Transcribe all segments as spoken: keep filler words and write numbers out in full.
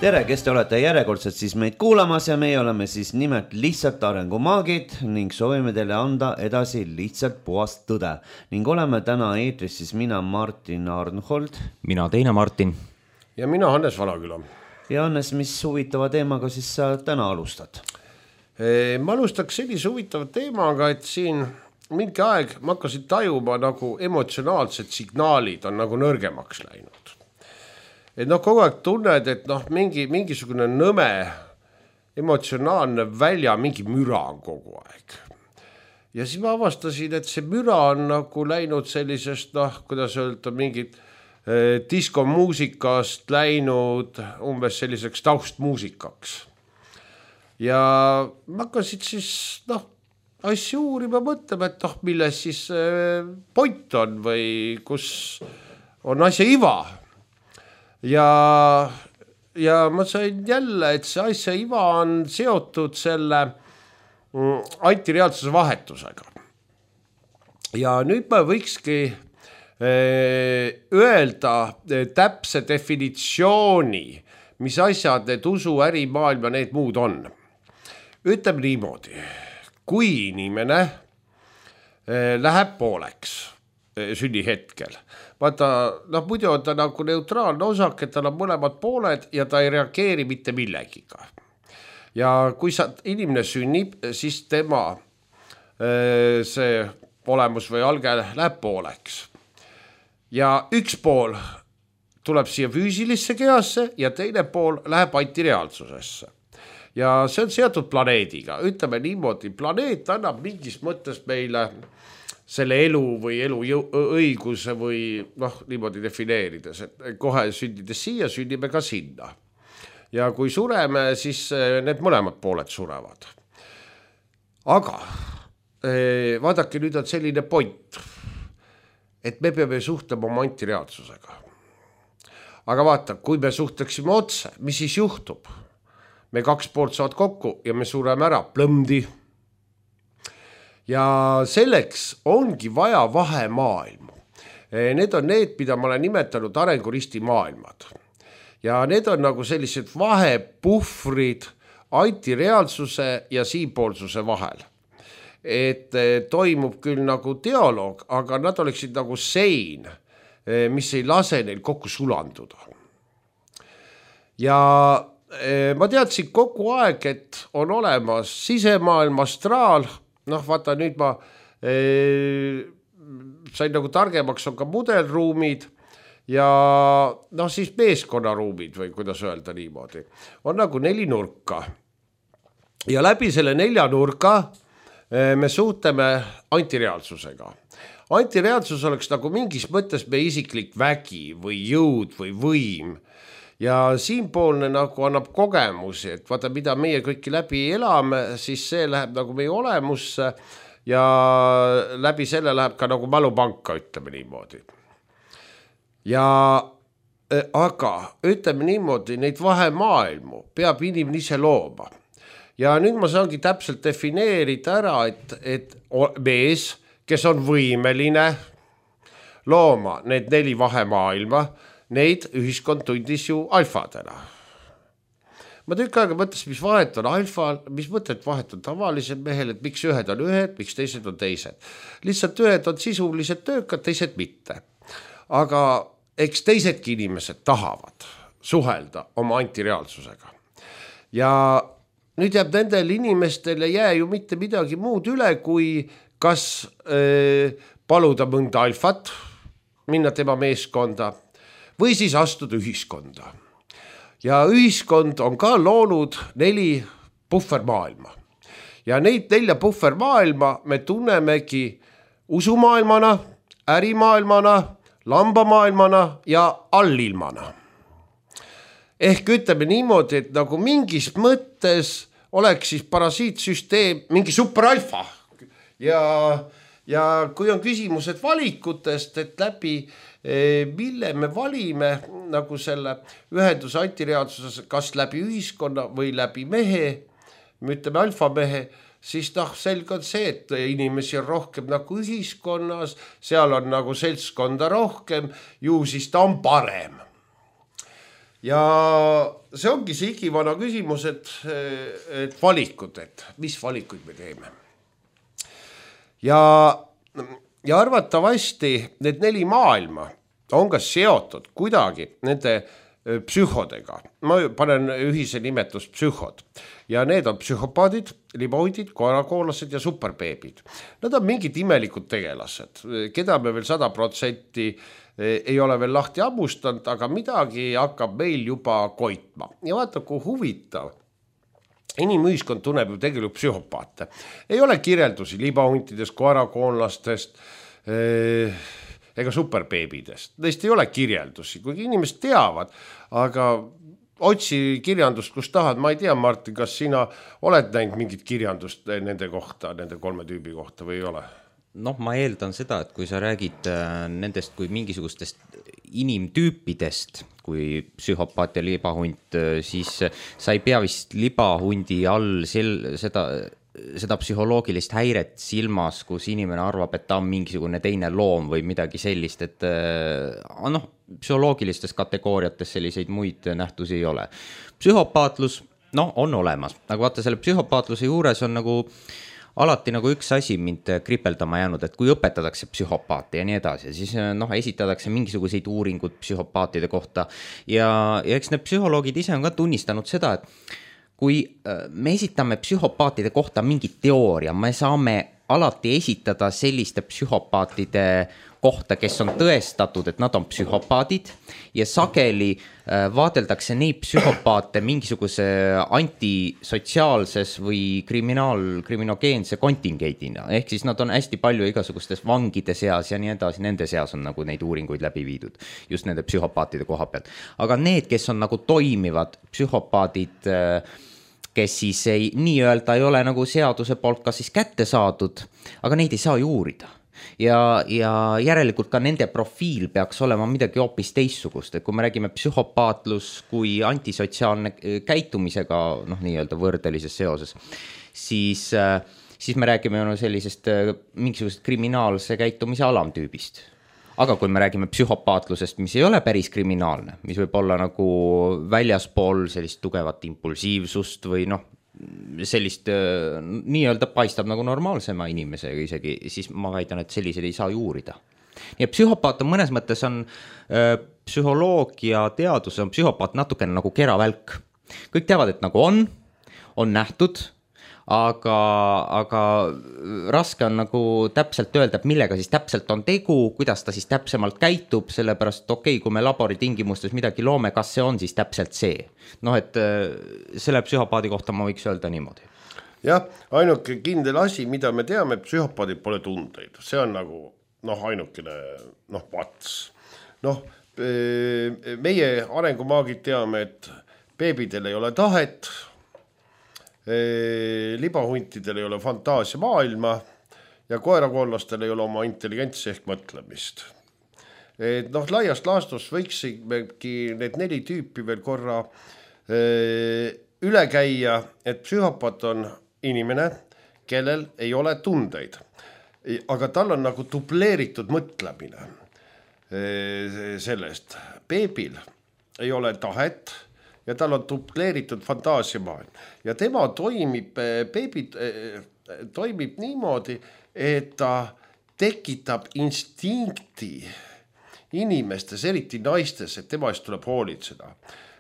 Tere, kes te olete järjekordselt siis meid kuulamas ja meie oleme siis nimelt lihtsalt arengumaagid ning soovime teile anda edasi lihtsalt puhast tõde. Ning oleme täna eetris siis mina Martin Arnhold. Mina teine Martin. Ja mina Hannes Vanaküla. Ja Hannes, mis huvitava teemaga siis sa täna alustad? Ma alustaks sellise huvitava teemaga, et siin mingi aeg ma hakkasin tajuma nagu emotsionaalsed signaalid on nagu nõrgemaks läinud. Et noh, kogu aeg tunned, et noh, mingi, mingisugune nõme emotsionaalne välja, mingi müra on kogu aeg. Ja siis ma avastasin, et see müra on nagu läinud sellisest, noh, kuidas öelda, mingit eh, diskomuusikast läinud umbes selliseks taustmuusikaks. Ja ma hakkasin siis, noh, asju uurima mõtlema, et noh, milles siis eh, point on või kus on asja iva. Ja, ja ma sain jälle, et see asja iva on seotud selle antireaalsuse vahetusega. Ja nüüd ma võikski öelda täpse definitsiooni, mis asjad need usu, ärimaailm ja need muud on. Ütleme niimoodi, kui inimene läheb pooleks sünnihetkel, vaata, noh, muidu on ta nagu neutraalne osak, et tal on mõlemad pooled ja ta ei reageeri mitte millegiga. Ja kui sa, inimene sünnib, siis tema see olemus või alge läheb pooleks. Ja üks pool tuleb siia füüsilisse kehasse ja teine pool läheb antireaalsusesse. Ja see on seotud planeediga. Ütleme niimoodi, planeet annab mingis mõttes meile selle elu või elu õiguse või noh, niimoodi defineerides, et kohe sündides siia, sünnime ka sinna. Ja kui sureme, siis need mõlemad pooled surevad. Aga vaadake, nüüd on selline point, et me peame suhtlema oma antireaalsusega. Aga vaata, kui me suhtleksime otse, mis siis juhtub? Me kaks poolt saavad kokku ja me sureme ära, plõmdi. Ja selleks ongi vaja vahemaailmu. Need on need, mida ma olen nimetanud arenguristi maailmad. Ja need on nagu sellised vahepuhvrid antireaalsuse ja siinpoolsuse vahel. Et toimub küll nagu dialoog, aga nad oleksid nagu sein, mis ei lase neil kokku sulanduda. Ja ma teadsin kogu aeg, et on olemas sisemaailm, astraal. Noh, vaata, nüüd ma eh, sain nagu targemaks, on ka mudelruumid ja noh, siis meeskonnaruumid või kuidas öelda niimoodi. On nagu neli nurka. Ja läbi selle nelja nurka eh, me suhtleme antireaalsusega. Antireaalsus oleks nagu mingis mõttes meie isiklik vägi või jõud või võim. Ja siinpoolne nagu annab kogemusi, et vaata, mida meie kõiki läbi elame, siis see läheb nagu meie olemusse ja läbi selle läheb ka nagu mälupanka, ütleme niimoodi. Ja aga ütleme niimoodi, neid vahemaailmu peab inimene ise looma. Ja nüüd ma saangi täpselt defineerida ära, et, et mees, kes on võimeline looma need neli vahemaailma, neid ühiskond tundis ju alfadena. Ma tükk aega mõtles, mis vahet on alfal, mis mõtted vahet on tavalised mehel, et miks ühed on ühed, miks teised on teised. Lihtsalt ühed on sisuliselt töökad, teised mitte. Aga eks teisedki inimesed tahavad suhelda oma antireaalsusega. Ja nüüd jääb nendel inimestele jää ju mitte midagi muud üle, kui kas äh, paluda mõnda alfat, minna tema meeskonda, või siis astuda ühiskonda. Ja ühiskond on ka loonud neli puhvermaailma. Ja neid nelja puhvermaailma me tunnemegi usumaailmana, ärimaailmana, lambamaailmana ja allilmana. Ehk ütleme niimoodi, et nagu mingis mõttes oleks siis parasiitsüsteem mingi superalfa. Ja, ja kui on küsimused valikutest, et läbi mille me valime nagu selle ühenduse antireaalsuses, kas läbi ühiskonna või läbi mehe, me ütleme alfamehe, siis noh, selge on see, et inimesi on rohkem nagu ühiskonnas, seal on nagu seltskonda rohkem, ju siis ta on parem. ja see ongi see igivana küsimus, et, et valikud, et mis valikuid me teeme. Ja, ja arvatavasti need neli maailma on ka seotud kuidagi nende psühhodega. Ma panen ühise nimetus psühhod. Ja need on psühhopaadid, libahundid, koerakoolased ja superbeebid. Nad on mingid imelikud tegelased, keda me veel sada protsenti ei ole veel lahti ammustanud, aga midagi hakkab meil juba koitma. Ja vaata, kui huvitav. Inimühiskond tunneb ju tegelikult psühhopaate. Ei ole kirjeldusi libahuntidest, koerakoonlastest ega superbeebidest. Neist ei ole kirjeldusi, kuigi inimesed teavad, aga otsi kirjandust, kus tahad. Ma ei tea, Martin, kas sina oled näinud mingit kirjandust nende kohta, nende kolme tüübi kohta või ei ole? Noh, ma eeldan seda, et kui sa räägid nendest kui mingisugustest inimtüüpidest, kui psühhopaat ja libahunt, siis sa ei pea vist libahundi all sel, seda, seda psühholoogilist häiret silmas, kus inimene arvab, et ta on mingisugune teine loom või midagi sellist, et noh, psühholoogilistes kategooriates selliseid muid nähtusi ei ole. Psühhopaatlus, noh, on olemas, aga vaata selle psühhopaatluse juures on nagu alati nagu üks asi mind kripeldama jäänud, et kui õpetatakse psühhopaate ja nii edasi, siis noh, esitatakse mingisuguseid uuringud psühhopaatide kohta ja, ja eks need psühholoogid ise on ka tunnistanud seda, et kui me esitame psühhopaatide kohta mingit teooria, me saame alati esitada selliste psühhopaatide kohta, kes on tõestatud, et nad on psühhopaadid ja sageli vaadeldakse neid psühhopaate mingisuguse antisotsiaalses või kriminaal, kriminogeense kontingendina. Ehk siis nad on hästi palju igasugustes vangide seas ja nii edasi, nende seas on nagu neid uuringuid läbi viidud, just nende psühhopaatide koha pealt. Aga need, kes on nagu toimivad psühhopaadid, kes siis ei, nii-öelda ei ole nagu seaduse poolt ka siis kätte saadud, aga neid ei saa ju uurida. Ja, ja järelikult ka nende profiil peaks olema midagi hoopis teissugust, et kui me räägime psühhopaatlus kui antisotsiaalne käitumisega, noh nii-öelda võrdelises seoses, siis, siis me räägime no sellisest mingisugusest kriminaalse käitumise alamtüübist. Aga kui me räägime psühhopaatlusest, mis ei ole päris kriminaalne, mis võib olla nagu väljaspool sellist tugevat impulsiivsust või noh, sellist nii-öelda paistab nagu normaalsema inimesega isegi, siis ma väidan, et sellised ei saa juurida. Ja psühhopaat on mõnes mõttes on psühholoogia teadus on psühhopaat natukene nagu keravälk. Kõik teavad, et nagu on, on nähtud, aga, aga raske on nagu täpselt öelda, et millega siis täpselt on tegu, kuidas ta siis täpsemalt käitub, sellepärast okei, kui me laboritingimustes midagi loome, kas see on siis täpselt see. Noh, et selle psühhopaadi kohta ma võiks öelda niimoodi. Jah, ainuke kindel asi, mida me teame, et psühhopaadid pole tundeid. See on nagu, noh, ainukene, noh, pats. Noh, meie arengumaagid teame, et beebidel ei ole tahet, libahuntidel ei ole fantaasia maailma ja koerakollastel ei ole oma intelligentsi ehk mõtlemist. Et noh, laiast laastus võiksimegi need neli tüüpi veel korra üle käia, et psühhopaat on inimene, kellel ei ole tundeid, aga tal on nagu dubleeritud mõtlemine sellest. Beebil ei ole tahet ja tal on dubleeritud fantaasiamaailm. Ja tema toimib, beebi toimib niimoodi, et ta tekitab instinkti inimestes, eriti naistes, et tema eest tuleb hoolitseda.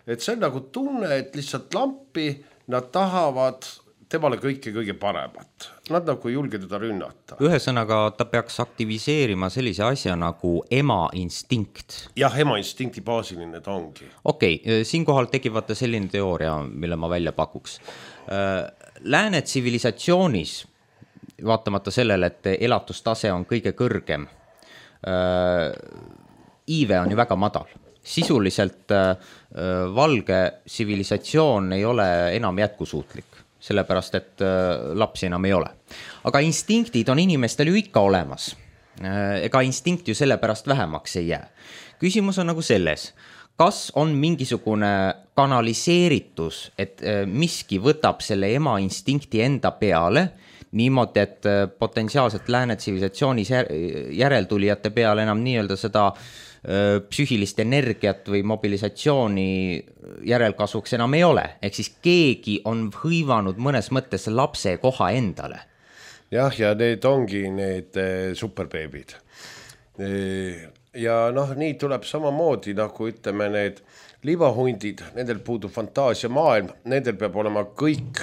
Et see on nagu tunne, et lihtsalt lampi nad tahavad temale kõike kõige paremat. Nad nagu ei julge teda rünnata. Ühesõnaga, ta peaks aktiviseerima sellise asja nagu ema instinkt. Jah, ema instinkti baasiline ta ongi. Okei, okay, siinkohal tekib selline teooria, mille ma välja pakuks. Lääne tsivilisatsioonis, vaatamata sellele, et elatustase on kõige kõrgem, iive on ju väga madal. Sisuliselt valge tsivilisatsioon ei ole enam jätkusuutlik. Sellepärast, et lapsi enam ei ole. Aga instinktid on inimestel ju ikka olemas. Ega instinkt ju sellepärast vähemaks ei jää. Küsimus on nagu selles, kas on mingisugune kanaliseeritus, et miski võtab selle ema instinkti enda peale, niimoodi, et potentsiaalselt lääne tsivilisatsioonis järeltulijate peale enam nii-öelda seda psüühilist energiat või mobilisatsiooni järelkasvuks enam ei ole. Ehk siis keegi on hõivanud mõnes mõttes lapse koha endale. Jah, ja need ongi need superbeebid. Ja noh, nii tuleb samamoodi, nagu ütleme need libahundid, nendel puudub fantaasia maailm, nendel peab olema kõik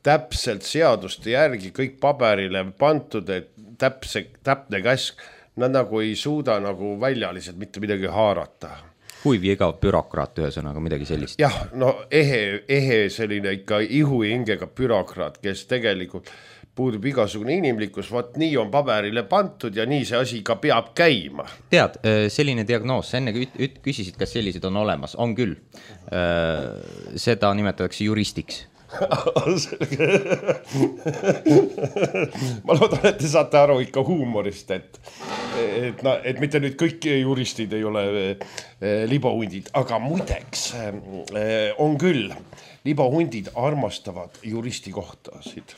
täpselt seaduste järgi, kõik paberile pantud, et täpse, täpne käsk. Nad nagu ei suuda nagu väljaliselt mitte midagi haarata. Kuiv ja igav bürokraat ühesõnaga, midagi sellist. Jah, no ehe, ehe selline ikka ihu ja hingega bürokraat, kes tegelikult puudub igasugune inimlikkus, vaat nii on paberile pantud ja nii see asi ka peab käima. Tead, selline diagnoos, enne küsisid, kas sellised on olemas, on küll. Seda nimetatakse juristiks. Ma loodan, et te saate aru ikka huumorist, et, et, na, et mitte nüüd kõik juristid ei ole libahundid, aga muideks on küll, libahundid armastavad juristi kohtasid.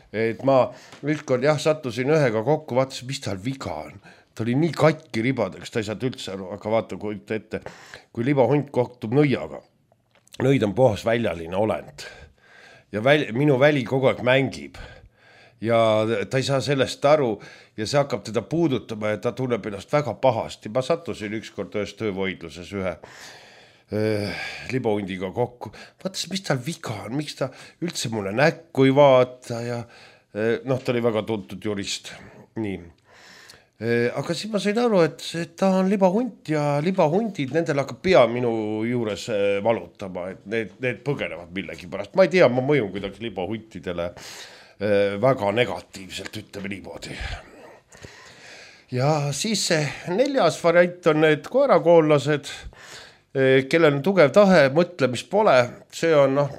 Et ma ülkord jah, sattusin ühega kokku, vaatasin, mis tal viga on. Ta oli nii katki ribadeks, ta ei saanud üldse aru, aga vaata, kui ette, kui libahund kohtub nõiaga. Nõid on puhas väljaline olend. Ja väl, minu väli kogu aeg mängib ja ta ei saa sellest aru ja see hakkab teda puudutama ja ta tunneb ennast väga pahasti. Ma sattusin ükskord ühes töövoidluses ühe äh, libahundiga kokku. Vaatasin, mis tal viga on, miks ta üldse mulle näkku ei vaata ja äh, noh, ta oli väga tuntud jurist. Nii. Äh, aga siis ma sain aru, et, et ta on libahunt ja libahundid, nendel hakkab pea minu juures äh, valutama, et need, need põgenevad millegi pärast. Ma ei tea, ma mõjun kuidagi libahuntidele äh, väga negatiivselt, ütleme niimoodi. Ja siis see neljas variant on need koerakoollased, äh, kellel on tugev tahe, mõtlemist pole. See on, noh,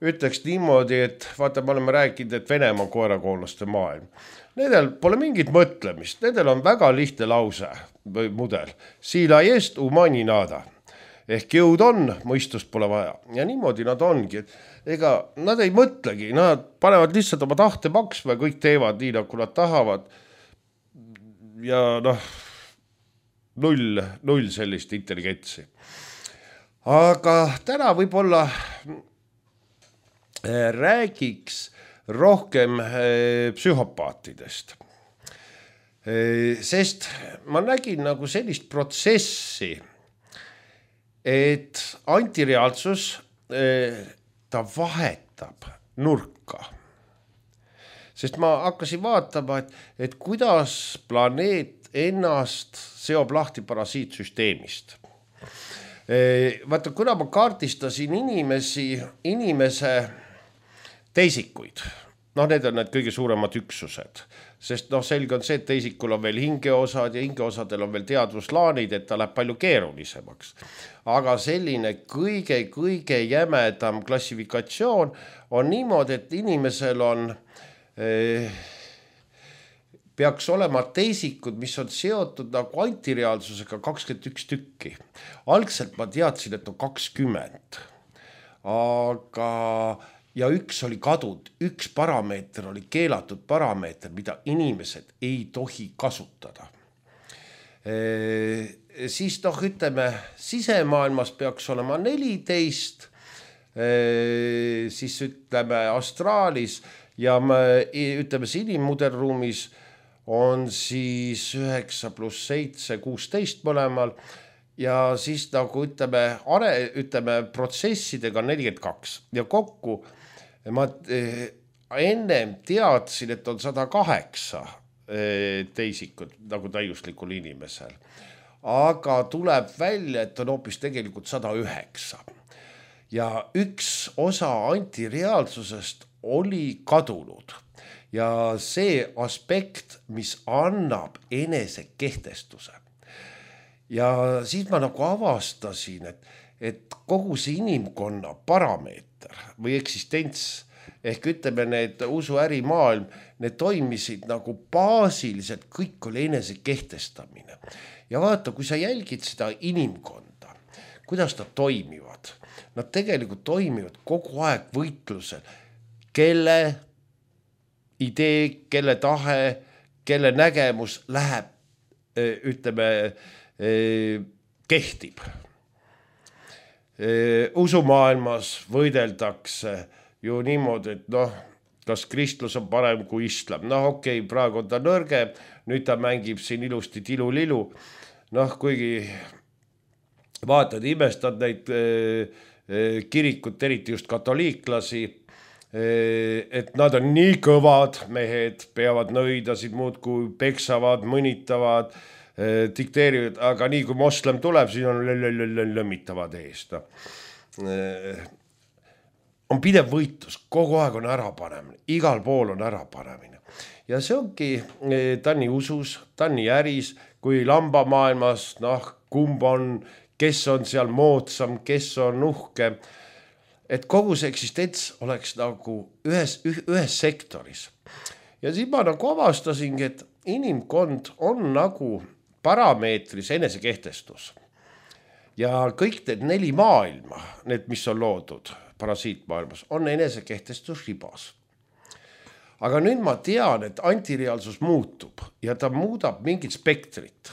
ütleks niimoodi, et vaata, me oleme rääkinud, et Venemaa koerakoolaste maailm. Nendel pole mingit mõtlemist, nendel on väga lihtne lause või mudel. Sila jest umani nada. Ehk jõud on, mõistust pole vaja. Ja niimoodi nad ongi. Ega nad ei mõtlegi, nad panevad lihtsalt oma tahte maksma ja kõik teevad nii, nagu nad tahavad. Ja noh, null, null sellist intelligentsi. Aga täna võib-olla räägiks rohkem psühhopaatidest. Sest ma nägin nagu sellist protsessi, et antireaalsus ta vahetab nurka. Sest ma hakkasin vaatama, et, et kuidas planeet ennast seob lahti parasiitsüsteemist. Vaata, kuna ma kaartistasin inimesi, inimese teisikuid, noh, need on need kõige suuremad üksused, sest noh, selge on see, et teisikul on veel hingeosad ja hingeosadel on veel teadvuslaanid, et ta läheb palju keerulisemaks. Aga selline kõige-kõige jämedam klassifikatsioon on niimoodi, et inimesel on, eh, peaks olema teisikud, mis on seotud nagu antireaalsusega kakskümmend üks tükki. Algselt ma teadsin, et on kakskümmend, aga ja üks oli kadud, üks parameeter oli keelatud parameeter, mida inimesed ei tohi kasutada. E, siis noh, ütleme, sisemaailmas peaks olema neliteist, e, siis ütleme astraalis ja me, ütleme inimmudelruumis on siis üheksa pluss seitse, kuusteist mõlemal. Ja siis nagu ütleme, are, ütleme protsessidega nelikümmend kaks ja kokku ma ennem teadsin, et on sada kaheksa teisikud nagu täiuslikul inimesel. Aga tuleb välja, et on hoopis tegelikult sada üheksa. Ja üks osa antireaalsusest oli kadunud. Ja see aspekt, mis annab enese kehtestuse. Ja siis ma nagu avastasin, et, et kogu see inimkonna parameeter või eksistents, ehk ütleme need usuärimaailm, need toimisid nagu baasiliselt, kõik oli enese kehtestamine. Ja vaata, kui sa jälgid seda inimkonda, kuidas nad toimivad, nad tegelikult toimivad kogu aeg võitlusel, kelle idee, kelle tahe, kelle nägemus läheb, ütleme, kehtib. Usumaailmas võideldakse ju niimoodi, et noh, kas kristlus on parem kui islam. Noh, okei, okay, praegu on ta nõrge, nüüd ta mängib siin ilusti tilu-lilu. Noh, kuigi vaatad, imestad neid kirikut, eriti just katoliiklasi, et nad on nii kõvad mehed, peavad nõidasid muudkui peksavad, mõnitavad, dikteerivad, aga nii kui moslem tuleb, siis on lõmmitavad eest. On pidev võitlus, kogu aeg on ärapanemine, igal pool on ärapanemine. Ja see ongi, ta on nii usus, ta on nii äris, kui lambamaailmas, noh, kumb on, kes on seal moodsam, kes on uhke, et kogu see eksistents oleks nagu ühes, ühes sektoris. Ja siis ma nagu avastasingi, et inimkond on nagu parameetris enesekehtestus. Ja kõik need neli maailma, need, mis on loodud parasiitmaailmas, on enesekehtestus ribas. Aga nüüd ma tean, et antireaalsus muutub ja ta muudab mingit spektrit.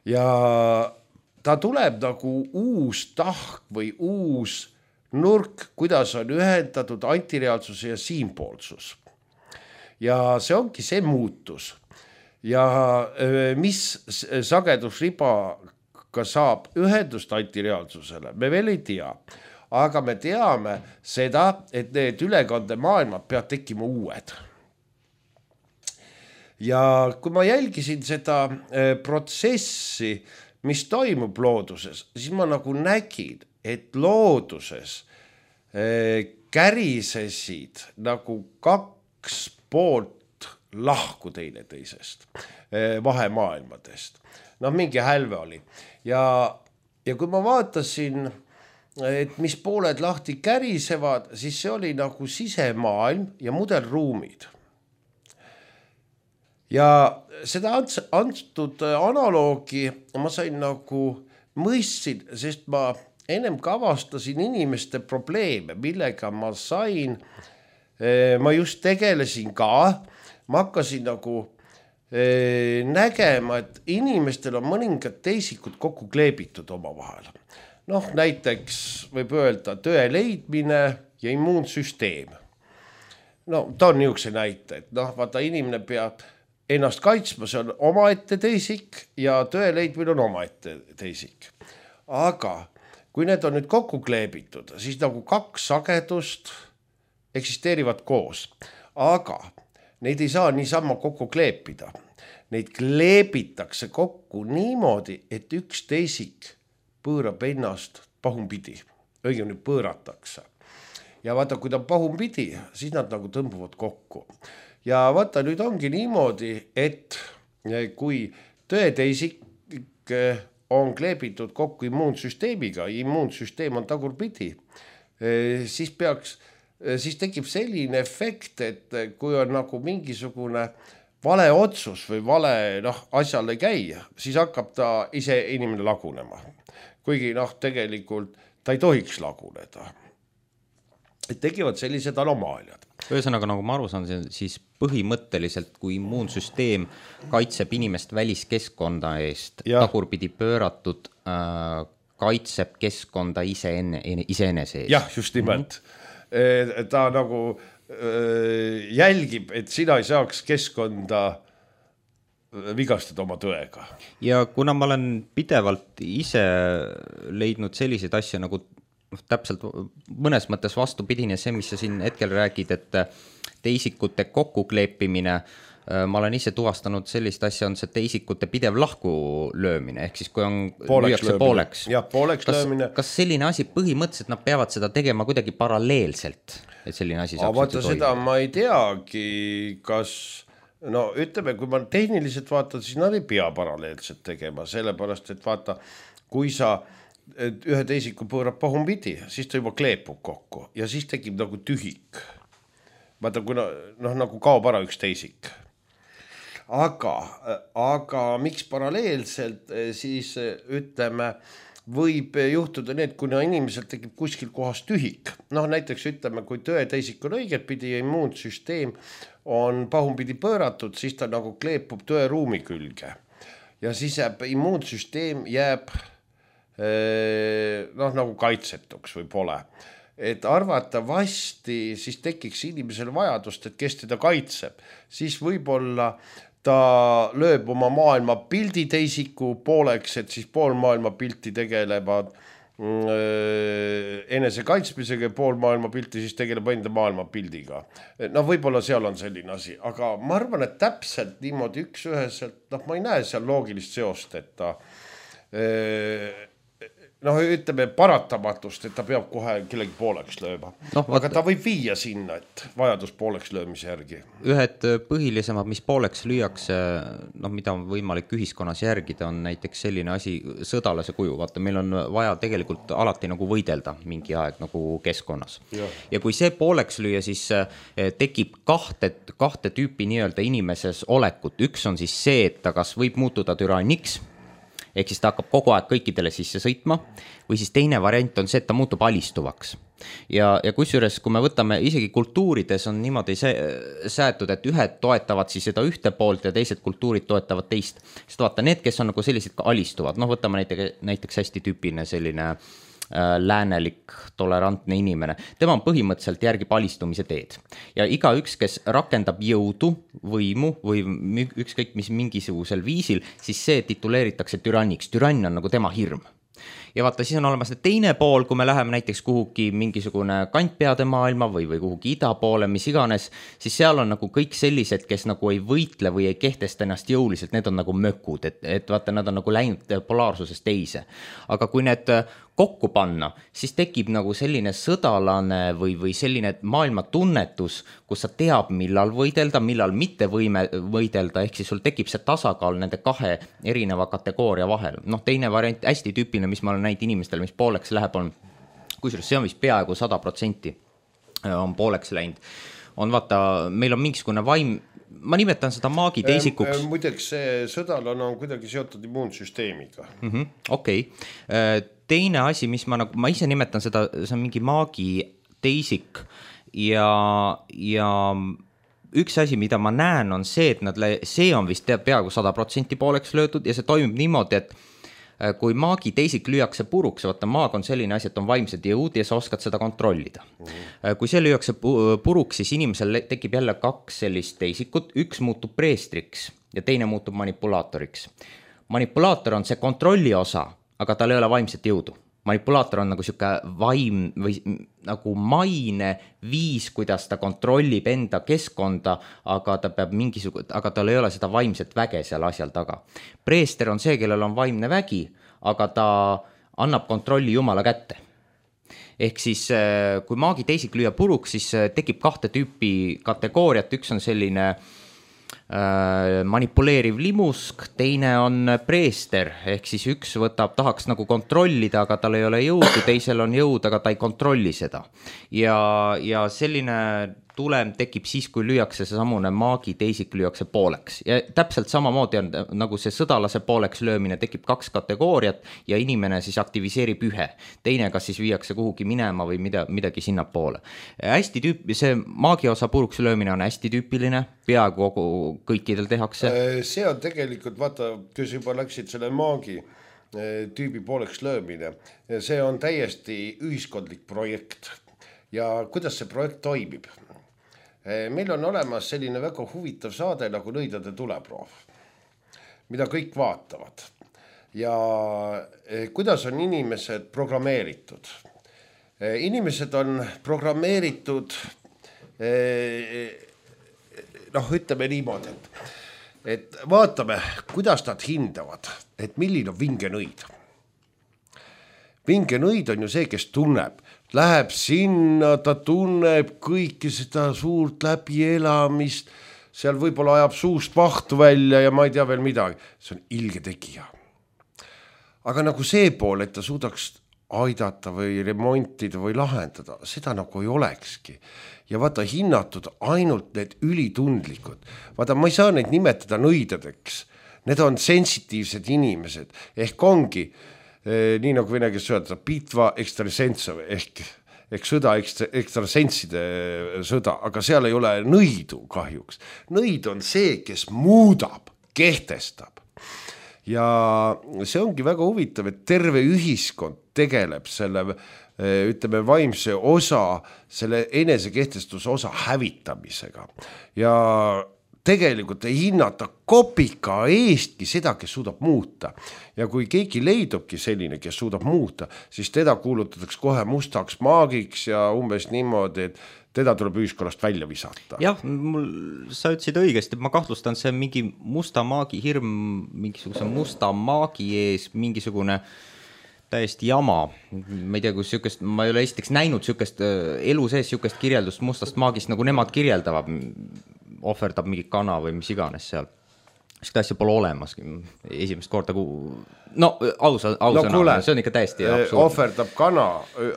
Ja ta tuleb nagu uus tahk või uus nurk, kuidas on ühendatud antireaalsus ja siinpoolsus. Ja see ongi see muutus. Ja mis sagedusribaga saab ühendust antireaalsusele, me veel ei tea. Aga me teame seda, et need ülekandemaailmad peavad tekkima uued. Ja kui ma jälgisin seda protsessi, mis toimub looduses, siis ma nagu nägin, et looduses kärisesid nagu kaks poolt lahku teine teisest, vahemaailmadest. Noh, mingi hälve oli. Ja, ja kui ma vaatasin, et mis pooled lahti kärisevad, siis see oli nagu sisemaailm ja mudelruumid. Ja seda antud analoogi ma sain nagu mõistsin, sest ma ennem ka avastasin inimeste probleeme, millega ma sain, ma just tegelesin ka, ma hakkasin nagu nägema, et inimestel on mõningad teisikud kokku kleebitud oma vahel. Noh, näiteks võib öelda tõe leidmine ja immuunsüsteem. No, ta on niisuguse näite, et noh, vaata, inimene peab ennast kaitsma, see on omaette teisik ja tõe leidmine on omaette teisik. Aga kui need on nüüd kokku kleebitud, siis nagu kaks sagedust eksisteerivad koos. Aga neid ei saa niisama kokku kleepida. Neid kleebitakse kokku niimoodi, et üks teisik pöörab ennast pahumpidi. Õigemini pööratakse. Ja vaata, kui ta pahumpidi, siis nad nagu tõmbuvad kokku. Ja vaata, nüüd ongi niimoodi, et kui tõeteisik on kleebitud kokku immuunsüsteemiga, immuunsüsteem on tagurpidi, siis peaks, siis tekib selline efekt, et kui on nagu mingisugune vale otsus või vale noh, asjale käia, siis hakkab ta ise inimene lagunema. Kuigi noh, tegelikult ta ei tohiks laguneda. Et tekivad sellised anomaaliad. Ühesõnaga, nagu ma aru saan, siis põhimõtteliselt, kui immuunsüsteem kaitseb inimest väliskeskkonda eest, ja tagurpidi pööratud, äh, kaitseb keskkonda ise, enne, ise enese eest. Jah, just nimelt. Mm-hmm. Ta nagu äh, jälgib, et sina ei saaks keskkonda vigastada oma tõega. Ja kuna ma olen pidevalt ise leidnud selliseid asju nagu täpselt mõnes mõttes vastupidine see, mis sa siin hetkel räägid, et teisikute kokkukleepimine, ma olen ise tuvastanud sellist asja, on see teisikute pidev lahku löömine, ehk siis kui on pooleks lüüakse pooleks. Ja, pooleks kas, löömine. Kas selline asi põhimõtteliselt nad peavad seda tegema kuidagi paralleelselt, et selline asi saaks vaata, seda ma ei teagi, kas no ütleme, kui ma tehniliselt vaatan, siis nad ei pea paralleelselt tegema, sellepärast, et vaata, kui sa et ühe teisiku pöörab pahumpidi, siis ta juba kleepub kokku ja siis tekib nagu tühik. Vaata, kui no, noh, nagu kaob ära üks teisik. Aga, aga miks paralleelselt, siis ütleme, võib juhtuda need, kuna inimesel tekib kuskil kohas tühik. Noh, näiteks ütleme, kui tõe teisik on õiget pidi ja immuunsüsteem on pahumpidi pööratud, siis ta nagu kleepub tõe ruumi külge. ja siis jääb immuunsüsteem jääb noh, nagu kaitsetuks või pole. Et arvatavasti siis tekiks inimesel vajadust, et kes teda kaitseb, siis võib-olla ta lööb oma maailma pildi teisiku pooleks, et siis pool maailma pilti tegelevad enese kaitsmisega ja pool maailma pilti siis tegeleb enda maailma pildiga. No võib-olla seal on selline asi, aga ma arvan, et täpselt niimoodi üks üheselt, noh, ma ei näe seal loogilist seost, et ta noh, ütleme paratamatust, et ta peab kohe kellegi pooleks lööma. No, aga ta võib viia sinna, et vajadus pooleks löömise järgi. Ühed põhilisemad, mis pooleks lüüakse, noh, mida on võimalik ühiskonnas järgida, on näiteks selline asi, sõdalase kuju. Vaata, meil on vaja tegelikult alati nagu võidelda mingi aeg nagu keskkonnas. Ja, ja kui see pooleks lüüa, siis tekib kahte, kahte tüüpi nii-öelda inimeses olekut. Üks on siis see, et ta kas võib muutuda türanniks, ehk siis ta hakkab kogu aeg kõikidele sisse sõitma, või siis teine variant on see, et ta muutub alistuvaks. Ja, ja kusjuures, kui me võtame, isegi kultuurides on niimoodi säätud, et ühed toetavad siis seda ühte poolt ja teised kultuurid toetavad teist. Sest vaata, need, kes on nagu sellised ka alistuvad, noh, võtame näiteks, näiteks hästi tüüpiline selline äh, läänelik, tolerantne inimene. Tema on põhimõtteliselt järgib alistumise teed. Ja igaüks, kes rakendab jõudu, võimu või ükskõik mis mingisugusel viisil, siis see tituleeritakse türanniks. Türann on nagu tema hirm. Ja vaata, siis on olemas teine pool, kui me läheme näiteks kuhugi mingisugune kantpeade maailma või, või kuhugi ida poole, mis iganes, siis seal on nagu kõik sellised, kes nagu ei võitle või ei kehtesta ennast jõuliselt, need on nagu mökud, et, et vaata, nad on nagu läinud polaarsusest teise. Aga kui need kokku panna, siis tekib nagu selline sõdalane või, või selline maailma tunnetus, kus sa teab, millal võidelda, millal mitte võime võidelda, ehk siis sul tekib see tasakaal nende kahe erineva kategooria vahel. Noh, teine variant, hästi tüüpiline, mis ma olen näinud inimestel, mis pooleks läheb, on, kusjuures see on vist peaaegu sada protsenti on pooleks läinud. On vaata, meil on mingisugune vaim, ma nimetan seda maagi teisikuks. Muideks see sõdalane on kuidagi seotud immuunsüsteemiga. Mm-hmm, okei. Okay. Teine asi, mis ma, nagu, ma ise nimetan seda, see on mingi maagi teisik ja, ja üks asi, mida ma näen, on see, et nad, see on vist peaaegu sada protsenti pooleks löödud ja see toimib niimoodi, et kui maagi teisik lüüakse puruks, vaata maag on selline asi, et on vaimsed jõud ja sa oskad seda kontrollida. Mm-hmm. Kui see lüüakse puruks, siis inimesel tekib jälle kaks sellist teisikut, üks muutub preestriks ja teine muutub manipulaatoriks. Manipulaator on see kontrolli osa, aga tal ei ole vaimset jõudu. Manipulaator on nagu siuke vaim või nagu maine viis, kuidas ta kontrollib enda keskkonda, aga ta peab mingisugune, aga tal ei ole seda vaimset väge seal asjal taga. Preester on see, kellel on vaimne vägi, aga ta annab kontrolli Jumala kätte. Ehk siis, kui maagi teisik lüüa puruks, siis tekib kahte tüüpi kategooriat, üks on selline manipuleeriv limusk, teine on preester, ehk siis üks võtab, tahaks nagu kontrollida, aga tal ei ole jõudu, teisel on jõud, aga ta ei kontrolli seda. Ja, ja selline tulem tekib siis, kui lüüakse see samune maagi teisik lüüakse pooleks. Ja täpselt samamoodi on nagu see sõdalase pooleks löömine, tekib kaks kategooriat ja inimene siis aktiviseerib ühe. Teine, kas siis viiakse kuhugi minema või mida, midagi sinna poole. Hästi tüüp, see maagi osa puruks löömine on hästi tüüpiline, peaaegu kogu kõikidel tehakse. See on tegelikult, vaata, kes juba läksid selle maagi tüübi pooleks löömine, see on täiesti ühiskondlik projekt. Ja kuidas see projekt toimib? Meil on olemas selline väga huvitav saade nagu Nõidade tuleproov, mida kõik vaatavad. Ja kuidas on inimesed programmeeritud? Inimesed on programmeeritud, noh, ütleme niimoodi, et, et vaatame, kuidas nad hindavad, et milline on vinge nõid. Vinge nõid on ju see, kes tunneb, läheb sinna, ta tunneb kõiki seda suurt läbielamist, seal võib-olla ajab suust vahtu välja ja ma ei tea veel midagi. See on ilge tegija. Aga nagu see pool, et ta suudaks aidata või remontida või lahendada, seda nagu ei olekski. Ja vaata, hinnatud ainult need ülitundlikud. Vaata, ma ei saa neid nimetada nõidadeks. Need on sensitiivsed inimesed. Ehk ongi nii nagu vene kes öelda, pitva ekstrasentsov ehk, ehk sõda ekstra, ekstrasentside sõda, aga seal ei ole nõidu kahjuks. Nõid on see, kes muudab, kehtestab. ja see ongi väga huvitav, et terve ühiskond tegeleb selle ütleme vaimse osa, selle enesekehtestuse osa hävitamisega ja tegelikult ei hinnata kopika eestki seda, kes suudab muuta. Ja kui keegi leidubki selline, kes suudab muuta, siis teda kuulutatakse kohe mustaks maagiks ja umbes niimoodi, et teda tuleb ühiskonnast välja visata. Jah, mul, sa ütlesid õigesti, et ma kahtlustan, see mingi musta maagi hirm, mingisuguse musta maagi ees, mingisugune täiesti jama. Ma ei tea, kus sükest, ma ei ole esiteks näinud sükest elu sees sükest kirjeldust mustast maagist, nagu nemad kirjeldavad, ohverdab mingi kana või mis iganes seal. Seda asja pole olemas esimest korda, kui... no ausa, ausana, no, see on ikka täiesti absurd. Ohverdab kana,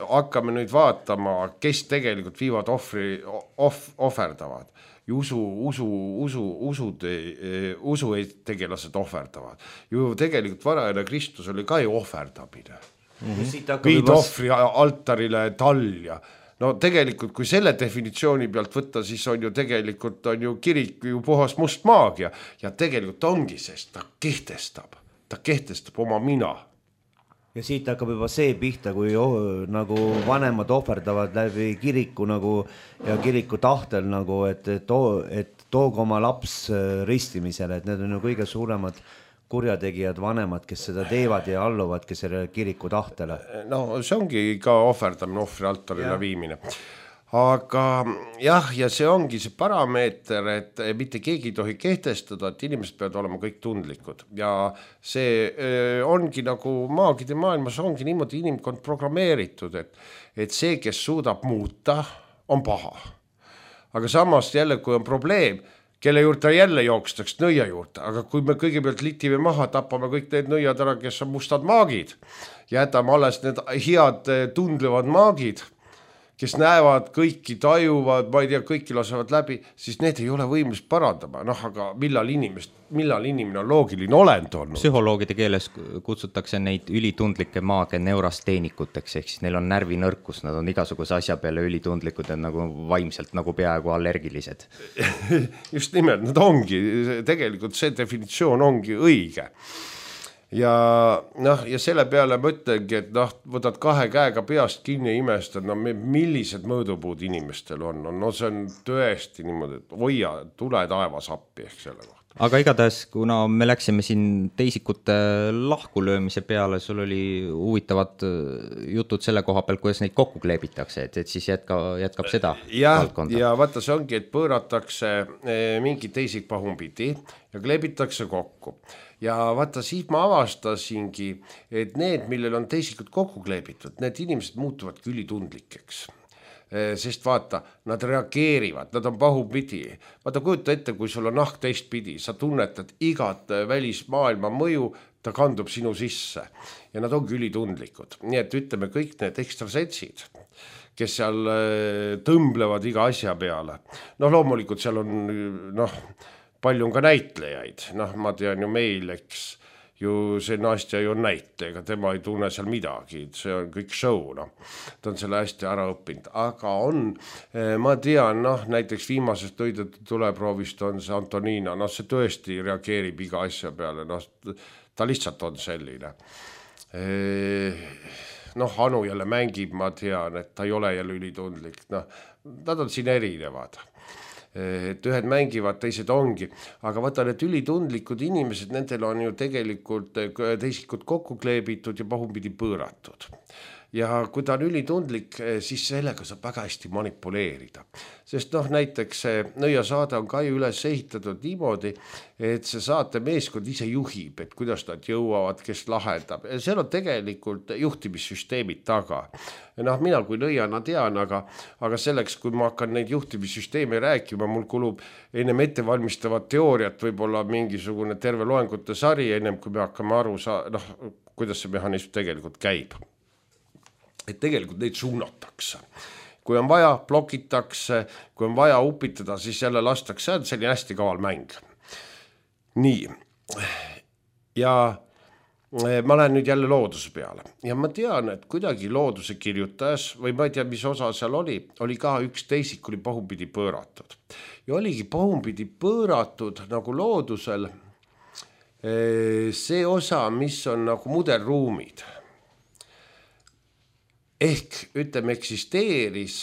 hakkame nüüd vaatama, kes tegelikult viivad ohvri, off, ohverdavad. Usu, usu, usu, usud, usu tegelased ohverdavad. Ju tegelikult varajane Kristus oli ka ju ohverdamine. Mm-hmm. Viid ohvri altarile talja. No tegelikult, kui selle definitsiooni pealt võtta, siis on ju tegelikult on ju kirik ju puhas must maagia ja tegelikult ongi, sest ta kehtestab, ta kehtestab oma mina. Ja siit hakkab juba see pihta, kui oh, nagu vanemad ohverdavad läbi kiriku nagu ja kiriku tahtel nagu, et, et, et toog oma laps ristimisele, et need on ju kõige suuremad kurjategijad vanemad, kes seda teevad ja alluvad, kes selle kiriku tahtele. No see ongi ka ohverdamine, ohvri altarile ja. Viimine. Aga jah, ja see ongi see parameeter, et mitte keegi ei tohi kehtestada, et inimesed peavad olema kõik tundlikud. Ja see ongi nagu maagide maailmas ongi niimoodi inimkond programmeeritud, et, et see, kes suudab muuta, on paha. Aga samas jälle, kui on probleem, kelle juurde jälle jookstaks nõia juurde, aga kui me kõigepealt litime maha, tapame kõik need nõiad ära, kes on mustad maagid, jätame alles need head tundlevad maagid, kes näevad kõiki, tajuvad, ma ei tea, kõiki lasevad läbi, siis need ei ole võimelised parandama. Noh, aga millal, inimest, millal inimene on loogiline olend olnud? Psühholoogide keeles kutsutakse neid ülitundlikke maage neurasteenikuteks, ehk siis neil on närvinõrkus, nad on igasuguse asja peale ülitundlikud ja nagu vaimselt nagu peaaegu allergilised. Just nimelt, nad ongi, tegelikult see definitsioon ongi õige. Ja, noh, ja selle peale mõtlengi, et noh, võtad kahe käega peast kinni ja imestad, no millised mõõdupuud inimestel on. No see on tõesti niimoodi, et hoia, tule taevas appi ehk selle kohta. Aga igatahes, kuna me läksime siin teisikute lahkulöömise peale, sul oli huvitavad jutud selle koha peal, kuidas neid kokku kleebitakse, et, et siis jätka, jätkab seda ja, valdkonda. Ja vaata, see ongi, et pööratakse mingi teisik pahumpidi ja kleebitakse kokku. Ja vaata, siis ma avastasingi, et need, millel on teisikud kokku kleebitud, need inimesed muutuvadki ülitundlikeks. Sest vaata, nad reageerivad, nad on pahupidi. Vaata, kujuta ette, kui sul on nahk teistpidi, sa tunnetad igat välismaailma mõju, ta kandub sinu sisse ja nad ongi ülitundlikud. Nii et ütleme kõik need ekstrasensid, kes seal tõmblevad iga asja peale. Noh, loomulikult seal on, noh, palju on ka näitlejaid, noh, ma tean ju meil, eks ju see Nastja ju on näitleja, tema ei tunne seal midagi, see on kõik show, noh, ta on selle hästi ära õppinud, aga on, ma tean, noh, näiteks viimasest õidetud tuleproovist on see Antonina, noh, see tõesti reageerib iga asja peale, noh, ta lihtsalt on selline. Noh, Anu jälle mängib, ma tean, et ta ei ole jälle ülitundlik, noh, nad on siin erinevad. Et ühed mängivad, teised ongi, aga vaata need ülitundlikud inimesed, nendel on ju tegelikult teisikud kokku kleebitud ja pahumpidi pööratud. Ja kui ta on ülitundlik, siis sellega saab väga hästi manipuleerida. Sest noh, näiteks see nõiasaade on ka ju üles ehitatud niimoodi, et see saate meeskond ise juhib, et kuidas nad jõuavad, kes lahendab. Seal on tegelikult juhtimissüsteemid taga. Noh, mina kui nõiana tean, aga, aga selleks, kui ma hakkan neid juhtimissüsteemi rääkima, mul kulub ennem ettevalmistavat teooriat, võib-olla mingisugune terve loengute sari, ennem kui me hakkame aru saa-, noh, kuidas see mehhanism tegelikult käib. Et tegelikult neid suunatakse. Kui on vaja, blokitakse, kui on vaja upitada, siis jälle lastakse, see on selline hästi kaval mäng. Nii, ja ma lähen nüüd jälle looduse peale. Ja ma tean, et kuidagi looduse kirjutajas, või ma ei tea, mis osa seal oli, oli ka üks teisik oli pahumpidi pööratud. Ja oligi pahumpidi pööratud nagu loodusel, see osa, mis on nagu mudelruumid. Ehk ütleme eksisteeris,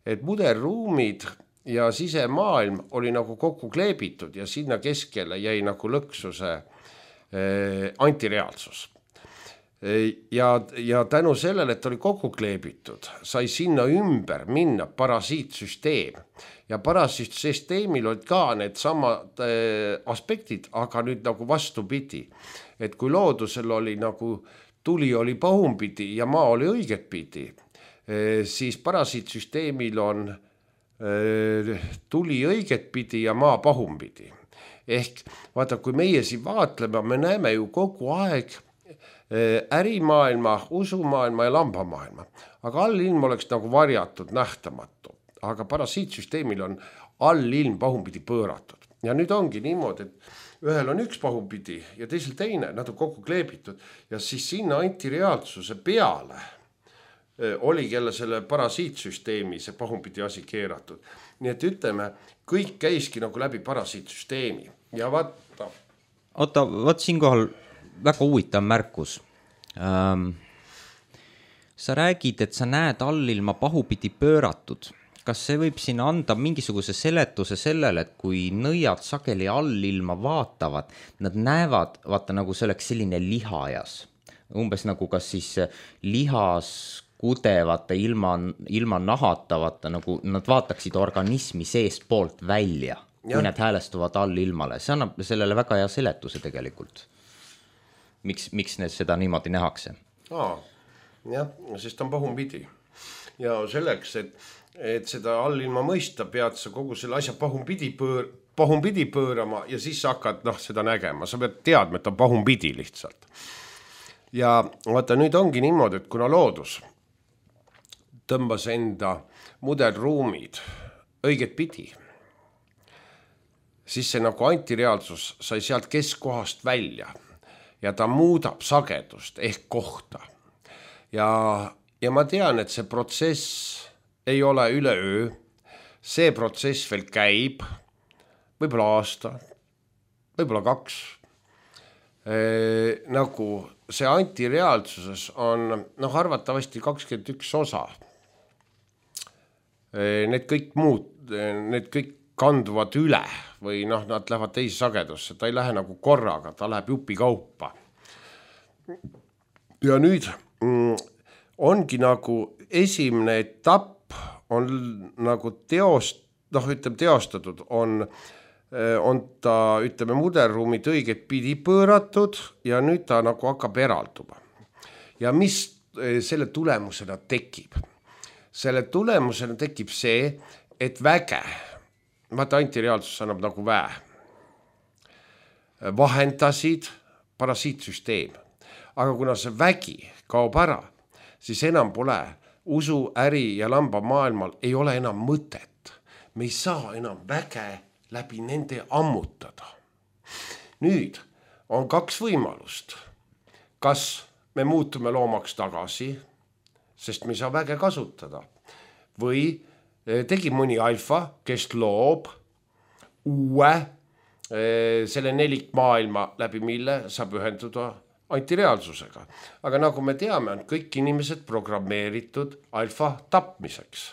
et mudelruumid ja sisemaailm oli nagu kokku kleebitud ja sinna keskele jäi nagu lõksuse antireaalsus. Ja, ja tänu sellele, et oli kokku kleebitud, sai sinna ümber minna parasiitsüsteem. Ja parasiitsüsteemil olid ka need samad aspektid, aga nüüd nagu vastupidi. Et kui loodusel oli nagu tuli oli pahumpidi ja maa oli õiget pidi, siis parasiitsüsteemil on tuli õiget pidi ja maa pahumpidi. Ehk vaata, kui meie siin vaatleme, me näeme ju kogu aeg ärimaailma, usumaailma ja lambamaailma. Aga allilm oleks nagu varjatud, nähtamatu. Aga parasiitsüsteemil on allilm pahumpidi pööratud. Ja nüüd ongi niimoodi, et ühel on üks pahumpidi ja teisel teine, nad on kokku kleebitud. Ja siis sinna antireaalsuse peale oli kelle selle parasiitsüsteemi see pahumpidi asi keeratud. Nii et ütleme, kõik käiski nagu läbi parasiitsüsteemi. Ja vaata. Oota, vaat siinkohal väga huvitav märkus. Ähm, sa räägid, et sa näed allilma pahupidi pööratud. Kas see võib siin anda mingisuguse seletuse sellele, et kui nõiad sageli allilma vaatavad, nad näevad, vaata nagu see oleks selline lihajas. Umbes nagu kas siis lihas kudevate ilma, ilma nahatavate, nagu nad vaataksid organismi seest poolt välja, ja. Kui need häälestuvad allilmale. See annab sellele väga hea seletuse tegelikult. Miks, miks need seda niimoodi nähakse? Aa, jah, sest on pahumpidi. Ja selleks, et, et seda allilma mõista, pead sa kogu selle asja pahumpidi, pöör, pahumpidi pöörama ja siis sa hakkad noh, seda nägema. Sa pead teadma, et on pahumpidi lihtsalt. Ja vaata, nüüd ongi niimoodi, et kuna loodus tõmbas enda mudelruumid õiget pidi, siis see nagu antireaalsus sai sealt keskkohast välja. Ja ta muudab sagedust ehk kohta. Ja, ja ma tean, et see protsess ei ole üleöö. See protsess veel käib, võib-olla aasta, võib-olla kaks. E, nagu see antireaalsuses on noh, arvatavasti kakskümmend üks osa. E, need kõik muud, need kõik kanduvad üle või noh, nad lähevad teise sagedusse. Ta ei lähe nagu korraga, ta läheb jupi kaupa. Ja nüüd mm, ongi nagu esimene etapp on nagu teost, noh, ütleme teostatud, on, on ta, ütleme, mudelruumid õiget pidi pööratud ja nüüd ta nagu hakkab eralduma. Ja mis selle tulemusena tekib? Selle tulemusena tekib see, et väge, vaata antireaalsus annab nagu väe, vahendasid parasiitsüsteem. Aga kuna see vägi kaob ära, siis enam pole usu, äri ja lamba maailmal ei ole enam mõtet. Me ei saa enam väge läbi nende ammutada. Nüüd on kaks võimalust. Kas me muutume loomaks tagasi, sest me ei saa väge kasutada, või tegi mõni alfa, kes loob uue selle nelik maailma läbi mille saab ühenduda antireaalsusega. Aga nagu me teame, on kõik inimesed programmeeritud alfa tapmiseks.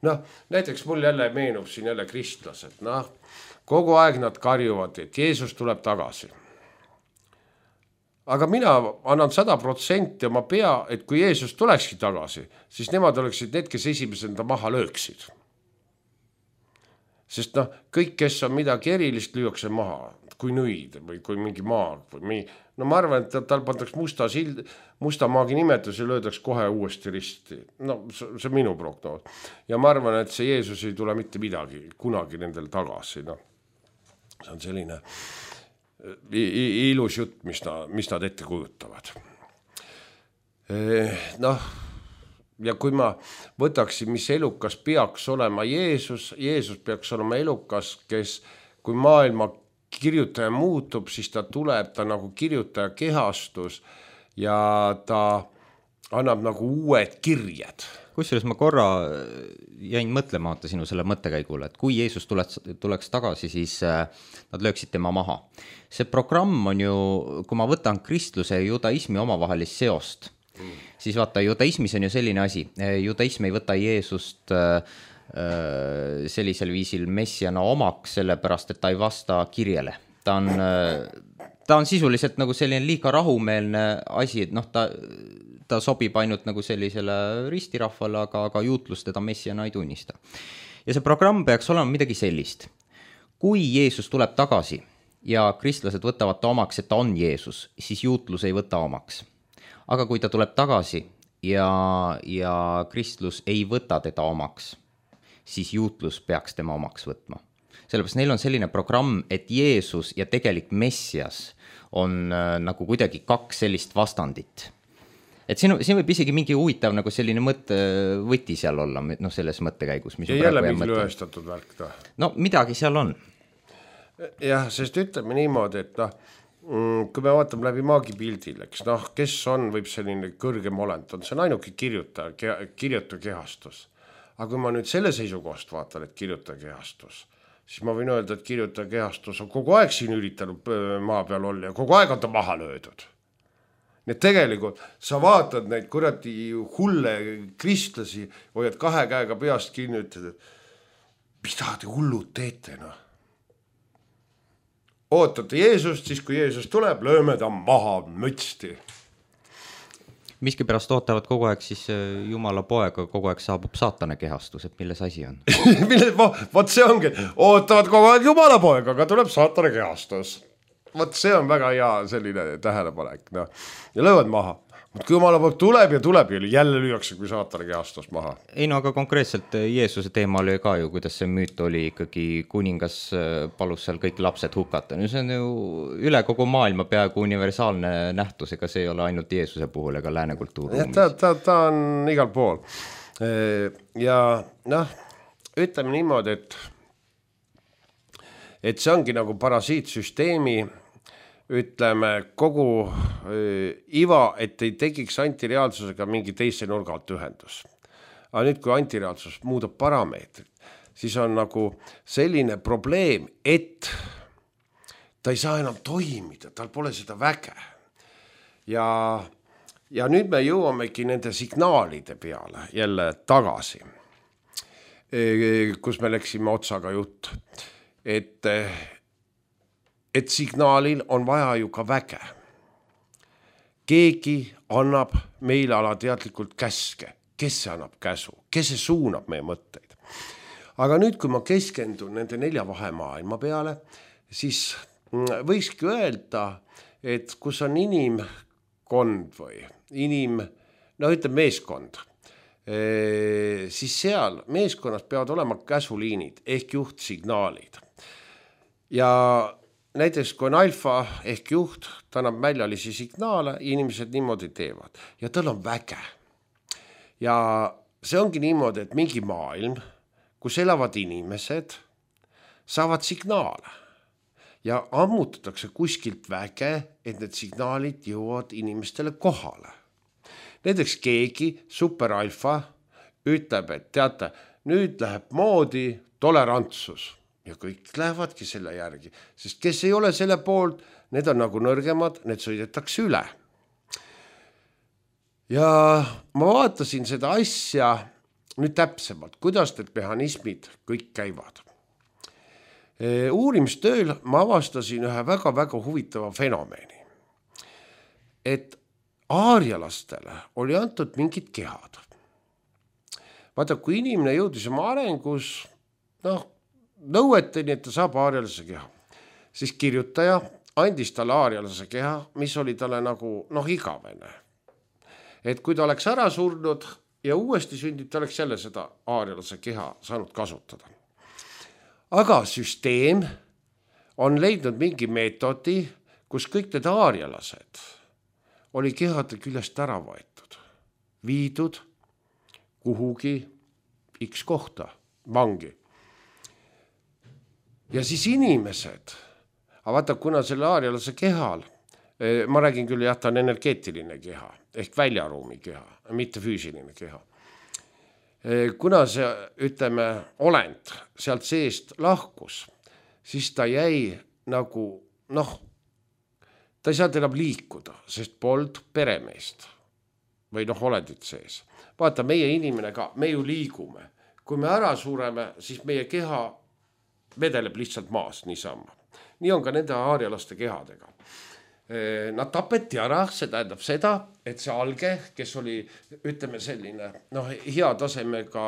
Noh, näiteks mul jälle meenub siin jälle kristlased. Noh, kogu aeg nad karjuvad, et Jeesus tuleb tagasi. Aga mina annan sada protsenti oma pea, et kui Jeesus tulekski tagasi, siis nemad oleksid need, kes esimesena maha lööksid. Sest noh, kõik, kes on midagi erilist, lüüakse maha, kui nõid või kui mingi maag. Või no ma arvan, et tal pandaks musta, sild, musta maagi nimetus ja löödaks kohe uuesti risti. No see on minu prognoos. Ja ma arvan, et see Jeesus ei tule mitte midagi kunagi nendel tagasi. No. See on selline ilus jutt, mis, ta, mis nad ette kujutavad. Noh, ja kui ma võtaksin, mis elukas peaks olema Jeesus, Jeesus peaks olema elukas, kes kui maailma kirjutaja muutub, siis ta tuleb, ta nagu kirjutaja kehastus ja ta annab nagu uued kirjed. Kusjuures ma korra jäin mõtlema vaata sinu selle mõttekäigule, et kui Jeesus tuleks, tuleks tagasi, siis nad lööksid tema maha. See programm on ju, kui ma võtan kristluse ja judaismi omavahelist seost, mm. siis vaata, judaismis on ju selline asi. Judaism ei võta Jeesust sellisel viisil messiana omaks, sellepärast, et ta ei vasta kirjele. Ta on, ta on sisuliselt nagu selline liiga rahumeelne asi, et noh, ta... ta sobib ainult nagu sellisele ristirahvale, aga, aga juutlus teda messiana ei tunnista. Ja see programm peaks olema midagi sellist. Kui Jeesus tuleb tagasi ja kristlased võtavad ta omaks, et ta on Jeesus, siis juutlus ei võta omaks. Aga kui ta tuleb tagasi ja, ja kristlus ei võta teda omaks, siis juutlus peaks tema omaks võtma. Sellepärast neil on selline programm, et Jeesus ja tegelik messias on äh, nagu kuidagi kaks sellist vastandit. Et siin, siin võib isegi mingi huvitav nagu selline mõtte võti seal olla, no selles mõttekäigus. Mis ja jälle mingi lõhestatud värk ta. No midagi seal on. Jah, sest ütleme niimoodi, et noh, kui me vaatame läbi maagipildil, eks, noh, kes on, võib selline kõrgem olend, on see on ainuke kirjuta, kirjuta kehastus. Aga kui ma nüüd selle seisukohast vaatan, et kirjuta kehastus, siis ma võin öelda, et kirjuta kehastus on kogu aeg siin üritanud maa peal olla ja kogu aeg on ta maha löödud. Need tegelikult, sa vaatad neid kuradi hulle kristlasi, hoiad kahe käega peast kinni, ütled, et mida te hullud teete, noh. Ootate Jeesust, siis kui Jeesus tuleb, lööme ta maha mütsti. Miski pärast ootavad kogu aeg siis Jumala poega, kogu aeg saabub saatane kehastus, et milles asi on? Milles, vaat see ongi, ootavad kogu aeg Jumala poega, aga tuleb saatane kehastus. Vot see on väga hea selline tähelepanek. No. Ja löövad maha. Kui Jumala poeg tuleb ja tuleb ja jälle lüüakse, kui saatane kehastus maha. Ei no aga konkreetselt Jeesuse teema oli ka ju, kuidas see müüt oli ikkagi kuningas palus seal kõik lapsed hukata. No see on ju üle kogu maailma peaaegu universaalne nähtus, ega see ei ole ainult Jeesuse puhul ega lääne kultuurruumis. Ta, ta, ta on igal pool. Ja noh, ütleme niimoodi, et, et see ongi nagu parasiitsüsteemi ütleme kogu äh, iva, et ei tekiks antireaalsusega mingi teise nurga alt ühendus. Aga nüüd, kui antireaalsus muudab parameetrit, siis on nagu selline probleem, et ta ei saa enam toimida, tal pole seda väge. Ja, ja nüüd me jõuamegi nende signaalide peale jälle tagasi, kus me läksime otsaga jutt, et et signaalil on vaja ju ka väge. Keegi annab meile alateadlikult käske. Kes see annab käsu? Kes see suunab meie mõtteid? Aga nüüd, kui ma keskendun nende nelja vahemaailma peale, siis võikski öelda, et kus on inimkond või inim, no ütleb meeskond, siis seal meeskonnas peavad olema käsuliinid ehk juhtsignaalid. Ja näiteks kui on alfa ehk juht, ta annab väljalisi signaale, inimesed niimoodi teevad ja tal on väge. Ja see ongi niimoodi, et mingi maailm, kus elavad inimesed, saavad signaale ja ammutatakse kuskilt väge, et need signaalid jõuavad inimestele kohale. Näiteks keegi superalfa ütleb, et teate, nüüd läheb moodi tolerantsus. Ja kõik lähevadki selle järgi, sest kes ei ole selle poolt, need on nagu nõrgemad, need sõidetakse üle. Ja ma vaatasin seda asja nüüd täpsemalt, kuidas need mehhanismid kõik käivad. E, uurimistööl ma avastasin ühe väga-väga huvitava fenomeni, et aarialastele oli antud mingid kehad. Vaata, kui inimene jõudis oma arengus, noh, nõueteni, et ta saab aarialase keha. Siis kirjutaja andis talle aarialase keha, mis oli talle nagu noh igavene. Et kui ta oleks ära surnud ja uuesti sündib, ta oleks jälle seda aarialase keha saanud kasutada. Aga süsteem on leidnud mingi meetodi, kus kõik need aarialased oli kehade küljest ära võetud, viidud kuhugi X kohta, vangi. Ja siis inimesed, aga vaata, kuna selle aarialase kehal ma räägin küll, jah, ta on energeetiline keha ehk väljaruumi keha, mitte füüsiline keha. Kuna see, ütleme, olend sealt seest lahkus, siis ta jäi nagu, noh, ta ei saanud enam liikuda, sest polnud peremeest või noh, olendit sees. Vaata, meie inimene ka, me ju liigume. Kui me ära sureme, siis meie keha vedeleb lihtsalt maas niisama. Nii on ka nende aarialaste kehadega. Nad tapeti ära, see tähendab seda, et see alge, kes oli, ütleme selline, noh, hea tasemega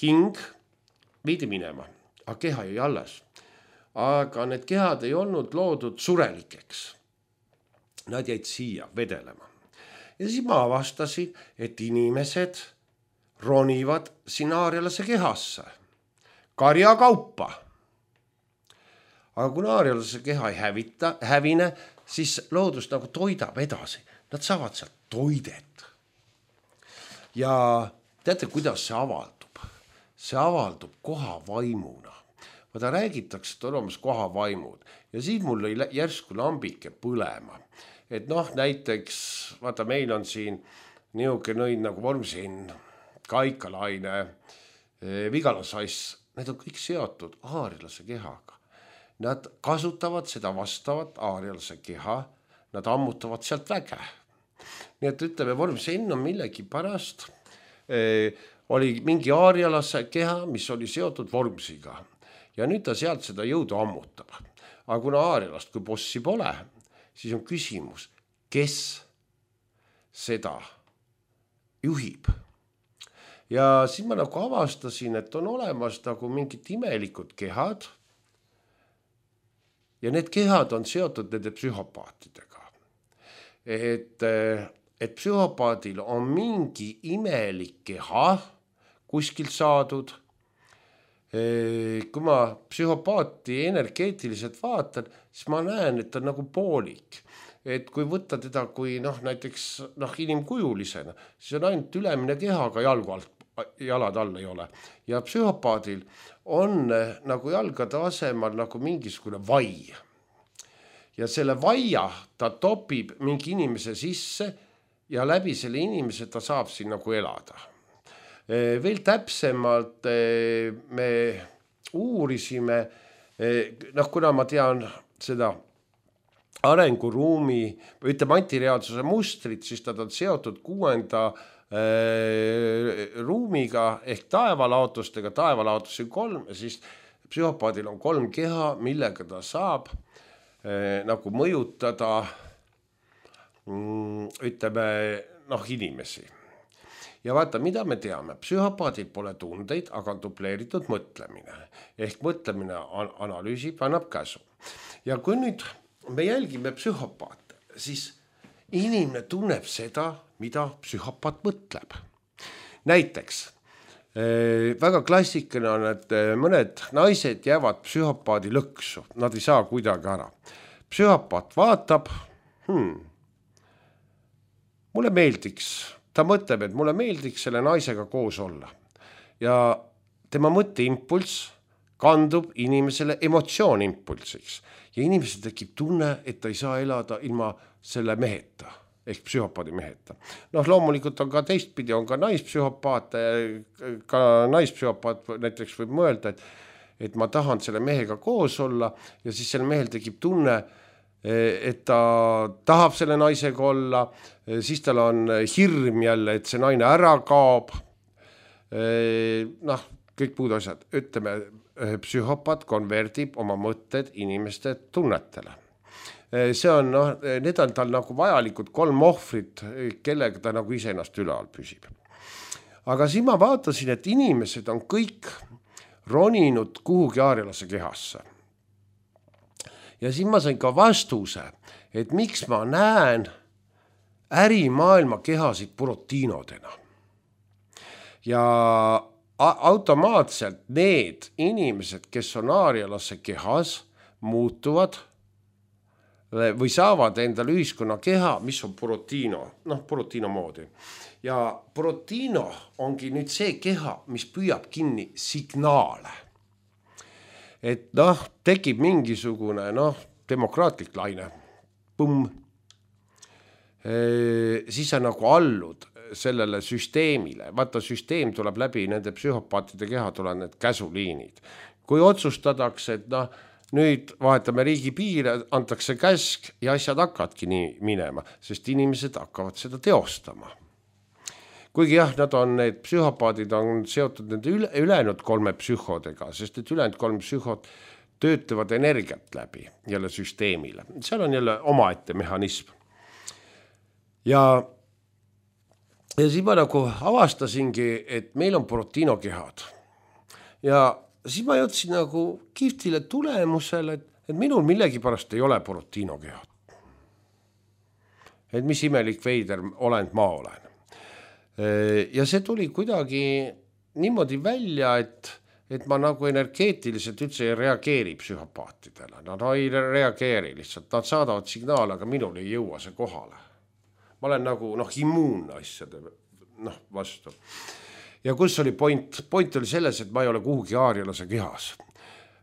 hing, viidi minema, aga keha jäi alles. Aga need kehad ei olnud loodud surelikeks. Nad jäid siia vedelema. Ja siis ma avastasin, et inimesed ronivad siin aarialase kehasse. Karja kaupa. Aga kui aarialase keha ei hävita, hävine, siis loodus nagu toidab edasi. Nad saavad sealt toidet. Ja teate, kuidas see avaldub? See avaldub koha vaimuna. Vaata, räägitakse, et on olemas koha vaimud. Ja siin mul oli järsku lambike põlema. Et noh, näiteks, vaata, meil on siin niuke nõid nagu Vormsin, Kaikalaine, Vigalasass. Need on kõik seotud aarialase kehaga. Nad kasutavad seda vastavat aarialase keha, nad ammutavad sealt väge. Nii et ütleme, Vormsin on millegi pärast, eh, oli mingi aarialase keha, mis oli seotud Vormsiga. Ja nüüd ta sealt seda jõudu ammutab. Aga kuna aarialast kui bossi pole, siis on küsimus, kes seda juhib. Ja siis ma nagu avastasin, et on olemas nagu mingid imelikud kehad, ja need kehad on seotud nende psühhopaatidega. Et, et psühhopaadil on mingi imelik keha kuskilt saadud. Kui ma psühhopaati energeetiliselt vaatan, siis ma näen, et ta on nagu poolik. Et kui võtta teda kui noh, näiteks noh, inimkujulisena, siis on ainult ülemine keha, aga jalgu alt, jalad all ei ole. Ja psühhopaadil on nagu jalgade asemal nagu mingisugune vai. Ja selle vaia ta topib mingi inimese sisse ja läbi selle inimese ta saab siin nagu elada. Veel täpsemalt me uurisime, noh, kuna ma tean seda arenguruumi või ütleme antireaalsuse mustrit, siis ta on seotud kuuenda ruumiga ehk taevalaotustega, taevalaotusi kolm, ja siis psühhopaadil on kolm keha, millega ta saab eh, nagu mõjutada mm, ütleme noh, inimesi. Ja vaata, mida me teame, psühhopaadil pole tundeid, aga on dupleeritud mõtlemine. Ehk mõtlemine analüüsib, annab käsu. Ja kui nüüd me jälgime psühhopaate, siis inimene tunneb seda, mida psühhopaat mõtleb. Näiteks, eh, väga klassikaline on, et mõned naised jäävad psühhopaadi lõksu. Nad ei saa kuidagi ära. Psühhopaat vaatab, hmm, mulle meeldiks, ta mõtleb, et mulle meeldiks selle naisega koos olla. Ja tema mõtteimpulss kandub inimesele emotsioonimpulsiks. Ja inimesel tekib tunne, et ta ei saa elada ilma selle meheta. Ehk psühhopaadi meheta. Noh, loomulikult on ka teistpidi, on ka naispsühhopaat, ka naispsühhopaat näiteks võib mõelda, et, et ma tahan selle mehega koos olla ja siis selle mehel tekib tunne, et ta tahab selle naisega olla, siis tal on hirm jälle, et see naine ära kaob. Noh, kõik muud asjad. Ütleme, psühhopaat konverdib oma mõtted inimeste tunnetele. See on, noh, need on tal nagu vajalikud kolm ohvrit, kellega ta nagu ise ennast üleal püsib. Aga siis ma vaatasin, et inimesed on kõik roninud kuhugi aarialase kehasse. Ja siis ma sain ka vastuse, et miks ma näen ärimaailma kehasid purotiinodena. Ja automaatselt need inimesed, kes on aarialase kehas, muutuvad või saavad endale ühiskonna keha, mis on purotiino, noh, purotiino moodi. Ja purotiino ongi nüüd see keha, mis püüab kinni signaale. Et noh, tekib mingisugune, noh, demokraatlik laine. Pumm, siis sa nagu allud sellele süsteemile. Vaata, süsteem tuleb läbi nende psühhopaatide keha, tulevad need käsuliinid. Kui otsustadakse, et noh, nüüd vahetame riigi piire, antakse käsk ja asjad hakkavadki nii minema, sest inimesed hakkavad seda teostama. Kuigi jah, nad on, need psühhopaadid on seotud nende üle, ülejäänud kolme psühhodega, sest et ülejäänud kolm psühhod töötavad energiat läbi jälle süsteemile. Seal on jälle omaette mehhanism. Ja, ja siis ma nagu avastasingi, et meil on proteinokehad. Ja siis ma jõudsin nagu kihvtile tulemusele, et, et minul millegi pärast ei ole proteinokehad. Et mis imelik veider olend ma olen. Ja see tuli kuidagi niimoodi välja, et, et ma nagu energeetiliselt üldse ei reageeri psühhopaatidele. Nad ei reageeri lihtsalt, nad saadavad signaale, aga minul ei jõua see kohale. Ma olen nagu noh, immuunne asjade noh, vastu. Ja kus oli point? Point oli selles, et ma ei ole kuhugi aarialase kehas.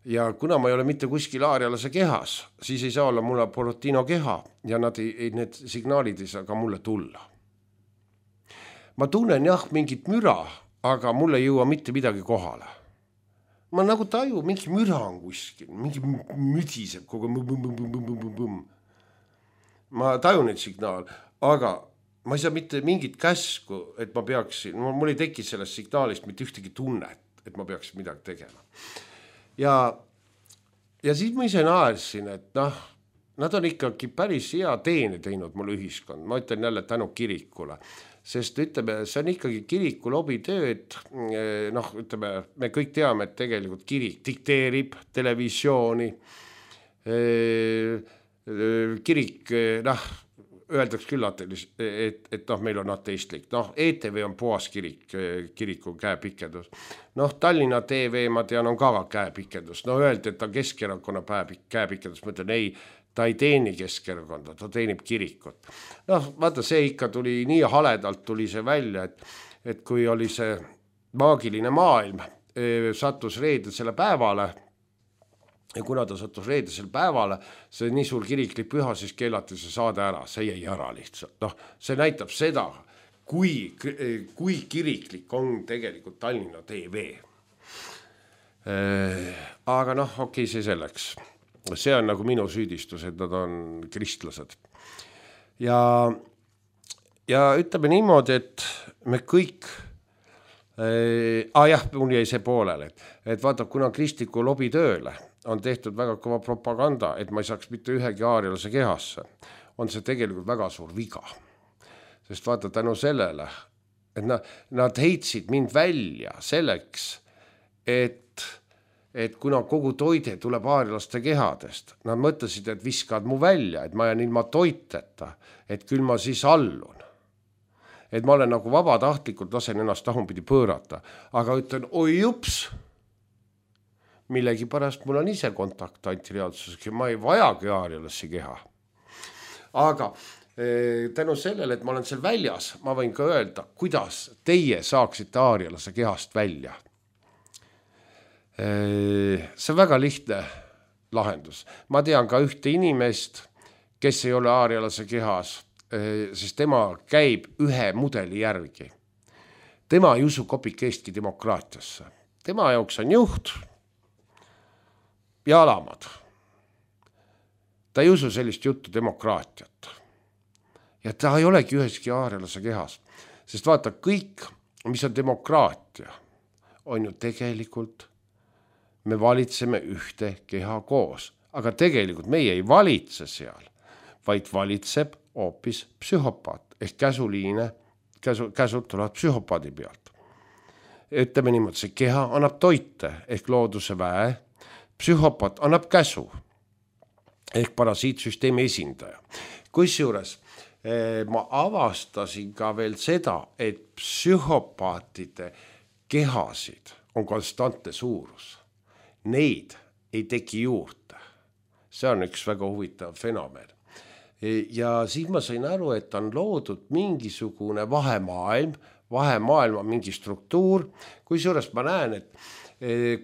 Ja kuna ma ei ole mitte kuskil aarialase kehas, siis ei saa olla mulle proteinkeha ja nad ei, need signaalid ei saa ka mulle tulla. Ma tunnen jah mingit müra, aga mulle ei jõua mitte midagi kohale. Ma nagu taju, mingi müra on kuskil, mingi müdiseb kogu mõm. Ma tajun neid signaal, aga ma ei saa mitte mingit käsku, et ma peaksin, mul ei teki sellest signaalist mitte ühtegi tunnet, et ma peaksin midagi tegema. Ja, ja siis ma ise naersin, et noh, nad on ikkagi päris hea teene teinud mulle ühiskond. Ma ütlen jälle tänu kirikule. Sest ütleme, see on ikkagi kiriku lobitöö, et noh, ütleme, me kõik teame, et tegelikult kirik dikteerib televisiooni, kirik, noh, öeldaks küll, et, et noh, meil on ateistlik, noh, E T V on puhas kirik, kiriku käepikendus, noh, Tallinna T V, ma tean, on ka käepikendus, no öeldi, et ta Keskerakonna käepikendus, ma ütlen, ei, ta ei teeni Keskerakonda, ta teenib kirikut. Noh, vaata, see ikka tuli nii haledalt tuli see välja, et, et kui oli see maagiline maailm, sattus reedesele päevale, ja kuna ta sattus reedesele päevale, see nii suur kiriklik püha, siis keelati see saade ära, see jäi ära lihtsalt. Noh, see näitab seda, kui, kui kiriklik on tegelikult Tallinna T V. Aga noh, okei, see selleks. See on nagu minu süüdistus, et nad on kristlased. Ja, ja ütleme niimoodi, et me kõik, äh, ah jah, mul jäi see poolele, et, et vaata, kuna kristliku lobi tööle on tehtud väga kõva propaganda, et ma ei saaks mitte ühegi aarialase kehasse, on see tegelikult väga suur viga. Sest vaata, tänu sellele, et nad, nad heitsid mind välja selleks, et et kuna kogu toide tuleb aarialaste kehadest, nad mõtlesid, et viskad mu välja, et ma jään ilma toiteta, et küll ma siis allun. Et ma olen nagu vabatahtlikult lasen ennast tahunpidi pöörata, aga ütlen, oi jups, millegi pärast mul on ise kontakt antireaalsusega, ma ei vajagi aarialasse keha. Aga eh, tänu sellele, et ma olen seal väljas, ma võin ka öelda, kuidas teie saaksite aarialase kehast välja. See on väga lihtne lahendus. Ma tean ka ühte inimest, kes ei ole aarialase kehas, sest tema käib ühe mudeli järgi. Tema ei usu kopikeestki demokraatiasse. Tema jaoks on juht ja alamad. Ta ei usu sellist juttu demokraatiat. Ja ta ei olegi üheski aarialase kehas. Sest vaata, kõik, mis on demokraatia, on ju tegelikult me valitseme ühte keha koos, aga tegelikult meie ei valitse seal, vaid valitseb hoopis psühhopaat ehk käsuliine, käsu, käsud tulevad psühhopaadi pealt. Ütleme niimoodi, see keha annab toite ehk looduse väe, psühhopaat annab käsu ehk parasiitsüsteemi esindaja. Kusjuures eh, ma avastasin ka veel seda, et psühhopaatide kehasid on konstantne suurus. Neid ei teki juurde. See on üks väga huvitav fenomen. Ja siis ma sain aru, et on loodud mingisugune vahemaailm, vahemaailm on mingi struktuur, kui suurest ma näen, et,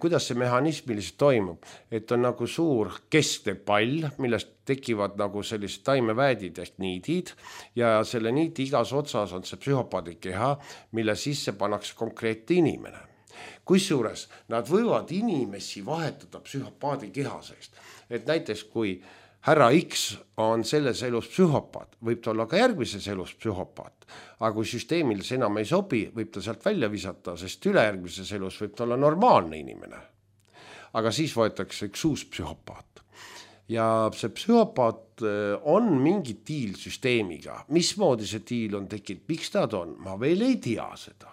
kuidas see mehhanismiliselt toimub, et on nagu suur keskne pall, millest tekivad nagu sellised taimeväädid ehk niidid ja selle niidi igas otsas on see psühhopaadi keha, mille sisse pannakse konkreetne inimene. Kusjuures nad võivad inimesi vahetada psühhopaadi keha seest, et näiteks kui härra X on selles elus psühhopaat, võib ta olla ka järgmises elus psühhopaat, aga kui süsteemil see enam ei sobi, võib ta sealt välja visata, sest ülejärgmises elus võib ta olla normaalne inimene. Aga siis võetakse üks uus psühhopaat. Ja see psühhopaat on mingi diil süsteemiga. Mismoodi see diil on tekkinud, miks nad on? Ma veel ei tea seda.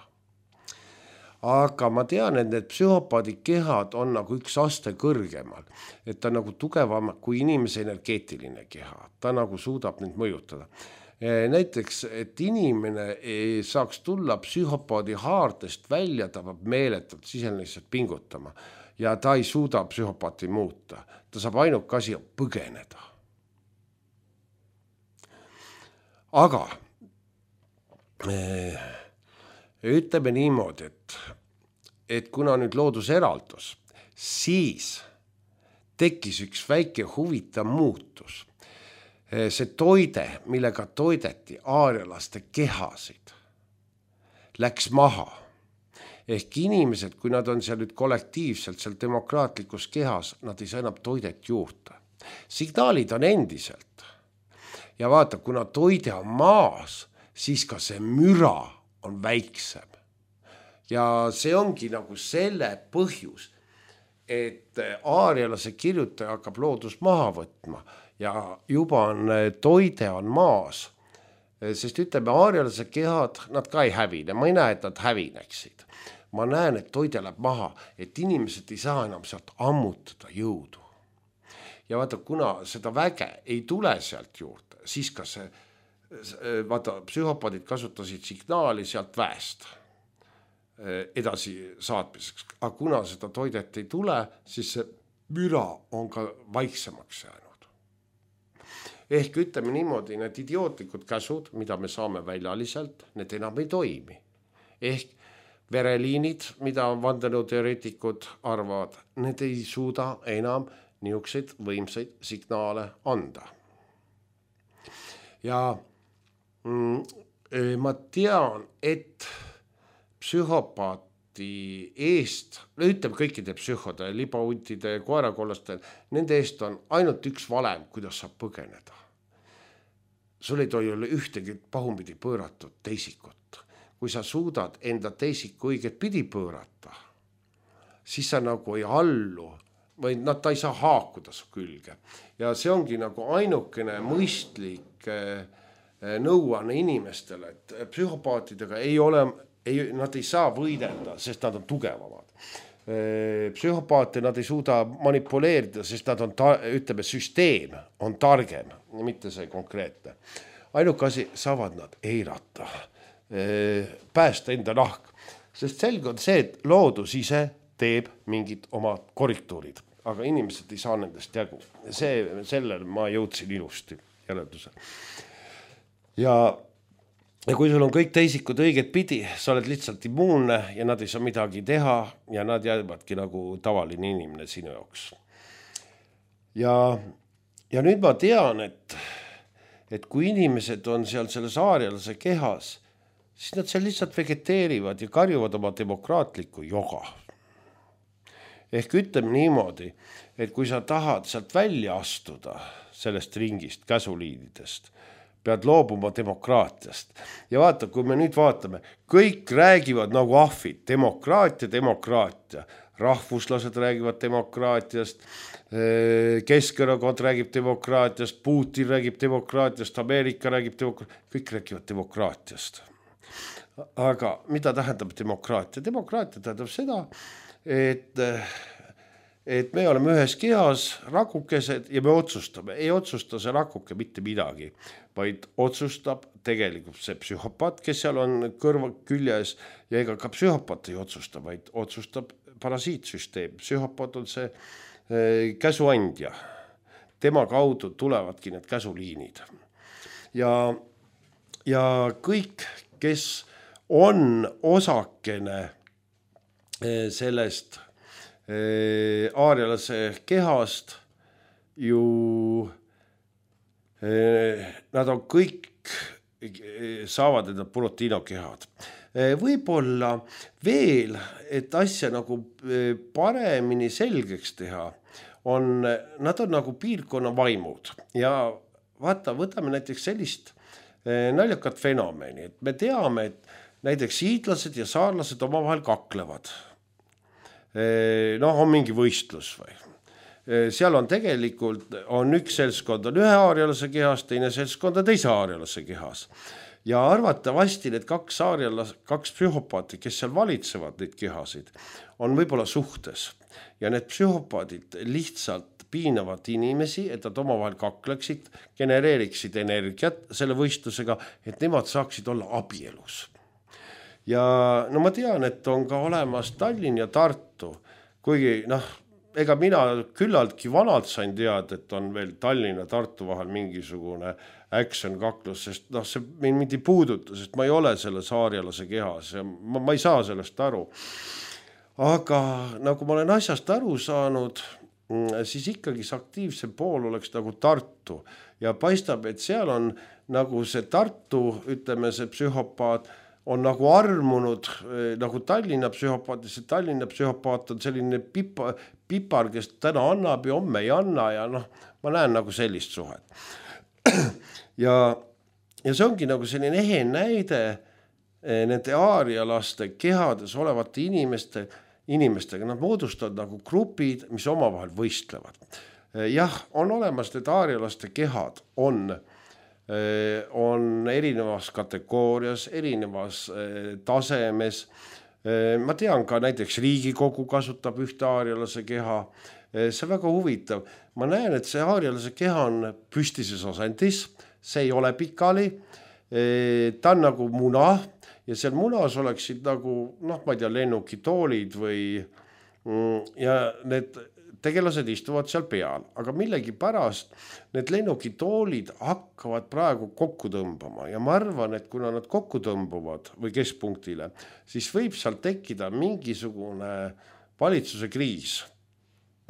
Aga ma tean, et need psühhopaadi kehad on nagu üks aste kõrgemal, et ta nagu tugevam kui inimese energeetiline keha, ta nagu suudab neid mõjutada. Näiteks, et inimene saaks tulla psühhopaadi haardest välja, ta peab meeletult siseneliselt pingutama ja ta ei suuda psühhopaati muuta, ta saab ainuke asi põgeneda. Aga ütleme niimoodi, et, et kuna nüüd loodus eraldus, siis tekkis üks väike huvitav muutus. See toide, millega toideti aarialaste kehasid, läks maha. Ehk inimesed, kui nad on seal nüüd kollektiivselt seal demokraatlikus kehas, nad ei saa enam toidet juurde. Signaalid on endiselt. Ja vaata, kuna toide on maas, siis ka see müra on väiksem. Ja see ongi nagu selle põhjus, et aarialase kirjutaja hakkab loodus maha võtma ja juba on, toide on maas. Sest ütleme, aarialase kehad, nad ka ei hävine. Ma ei näe, et nad hävineksid. Ma näen, et toide läheb maha, et inimesed ei saa enam sealt ammutada jõudu. Ja vaata, kuna seda väge ei tule sealt juurde, siis ka see vaata, psühhopaadid kasutasid signaali sealt väest edasi saatmiseks. Aga kuna seda toidet ei tule, siis see müra on ka vaiksemaks jäänud. Ehk ütleme niimoodi, need idiootlikud käsud, mida me saame väljaliselt, need enam ei toimi. Ehk vereliinid, mida vandenõuteoreetikud arvavad, need ei suuda enam niisuguseid võimsaid signaale anda. Ja ma tean, et psühhopaati eest, ütleme kõikide psühhode, libauntide, koerakollastel, nende eest on ainult üks valem, kuidas saab põgeneda. Sul ei tohi olla ühtegi pahupidi pööratud teisikut. Kui sa suudad enda teisiku õiget pidi pöörata, siis sa nagu ei allu või nad ta ei saa haakuda su külge. Ja see ongi nagu ainukene mõistlik nõuanne inimestele, et psühhopaatidega ei ole, ei, nad ei saa võidelda, sest nad on tugevamad. Psühhopaate nad ei suuda manipuleerida, sest nad on, ta, ütleme, süsteem on targem, mitte see konkreetne. Ainuke asi, saavad nad eirata, päästa enda nahk, sest selge on see, et loodus ise teeb mingid oma korrektuurid, aga inimesed ei saa nendest jagu. See, sellel ma jõudsin ilusti järelduse. Ja, ja kui sul on kõik teisikud õiget pidi, sa oled lihtsalt immuunne ja nad ei saa midagi teha ja nad jäävadki nagu tavaline inimene sinu jaoks. Ja, ja nüüd ma tean, et, et kui inimesed on seal selles aarialase kehas, siis nad seal lihtsalt vegeteerivad ja karjuvad oma demokraatlikku joga. Ehk ütleme niimoodi, et kui sa tahad sealt välja astuda sellest ringist, käsuliididest, pead loobuma demokraatiast. Ja vaata, kui me nüüd vaatame, kõik räägivad nagu ahvid, demokraatia, demokraatia. Rahvuslased räägivad demokraatiast, Keskerakond räägib demokraatiast, Putin räägib demokraatiast, Ameerika räägib demokraatiast, kõik räägivad demokraatiast. Aga mida tähendab demokraatia? Demokraatia tähendab seda, et, et me oleme ühes kehas rakukesed ja me otsustame. Ei otsusta see rakuke mitte midagi, vaid otsustab tegelikult see psühhopaat, kes seal on kõrva küljes ja ega ka psühhopaat ei otsusta, vaid otsustab parasiitsüsteem. Psühhopaat on see äh, käsuandja. Tema kaudu tulevadki need käsuliinid. Ja, ja kõik, kes on osakene sellest aarialase kehast ju nad on kõik, saavad enda Burotino kehad. Võib-olla veel, et asja nagu paremini selgeks teha, on, nad on nagu piirkonna vaimud ja vaata, võtame näiteks sellist naljakat fenomeni, et me teame, et näiteks hiidlased ja saarlased omavahel kaklevad. Noh, on mingi võistlus või? Seal on tegelikult, on üks seltskond on ühe aarialase kehas, teine seltskond on teise aarialase kehas. Ja arvatavasti need kaks aarialase, kaks psühhopaati, kes seal valitsevad neid kehasid, on võib-olla suhtes. Ja need psühhopaadid lihtsalt piinavad inimesi, et nad omavahel kakleksid, genereeriksid energiat selle võistlusega, et nemad saaksid olla abielus. Ja no ma tean, et on ka olemas Tallinn ja Tartu, kuigi noh, ega mina küllaltki vanalt sain teada, et on veel Tallinna ja Tartu vahel mingisugune action kaklus, sest noh, see mind ei puuduta, sest ma ei ole selles aarialase kehas ja ma, ma ei saa sellest aru. Aga nagu ma olen asjast aru saanud, siis ikkagi see aktiivsem pool oleks nagu Tartu ja paistab, et seal on nagu see Tartu, ütleme see psühhopaat, on nagu armunud nagu Tallinna psühhopaat, see Tallinna psühhopaat on selline pipa, pipar, kes täna annab ja homme ei anna ja noh, ma näen nagu sellist suhet. ja, ja see ongi nagu selline ehe näide nende aarialaste kehades olevate inimeste, inimestega, nad moodustavad nagu grupid, mis omavahel võistlevad. Jah, on olemas need aarialaste kehad, on on erinevas kategoorias, erinevas tasemes. Ma tean ka näiteks Riigikogu kasutab ühte aarialase keha. See on väga huvitav. Ma näen, et see aarialase keha on püstises asendis, see ei ole pikali, ta on nagu muna ja seal munas oleksid nagu, noh, ma ei tea, lennukitoolid või ja need tegelased istuvad seal peal, aga millegi pärast need lennukitoolid hakkavad praegu kokku tõmbama ja ma arvan, et kuna nad kokku tõmbuvad või keskpunktile, siis võib seal tekkida mingisugune valitsuse kriis.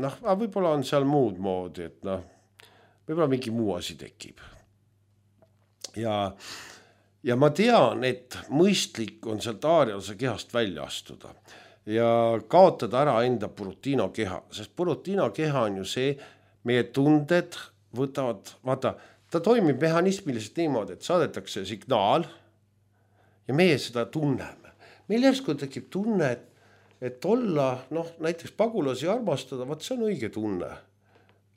Noh, võib-olla on seal muud moodi, et noh, võib-olla mingi muu asi tekib. Ja, ja ma tean, et mõistlik on sealt aarialase kehast välja astuda ja kaotada ära enda Burotino keha, sest Burotino keha on ju see, meie tunded võtavad, vaata, ta toimib mehhanismiliselt niimoodi, et saadetakse signaal ja meie seda tunneme. Meil järsku tekib tunne, et, et olla, noh, näiteks pagulasi armastada, vaat see on õige tunne.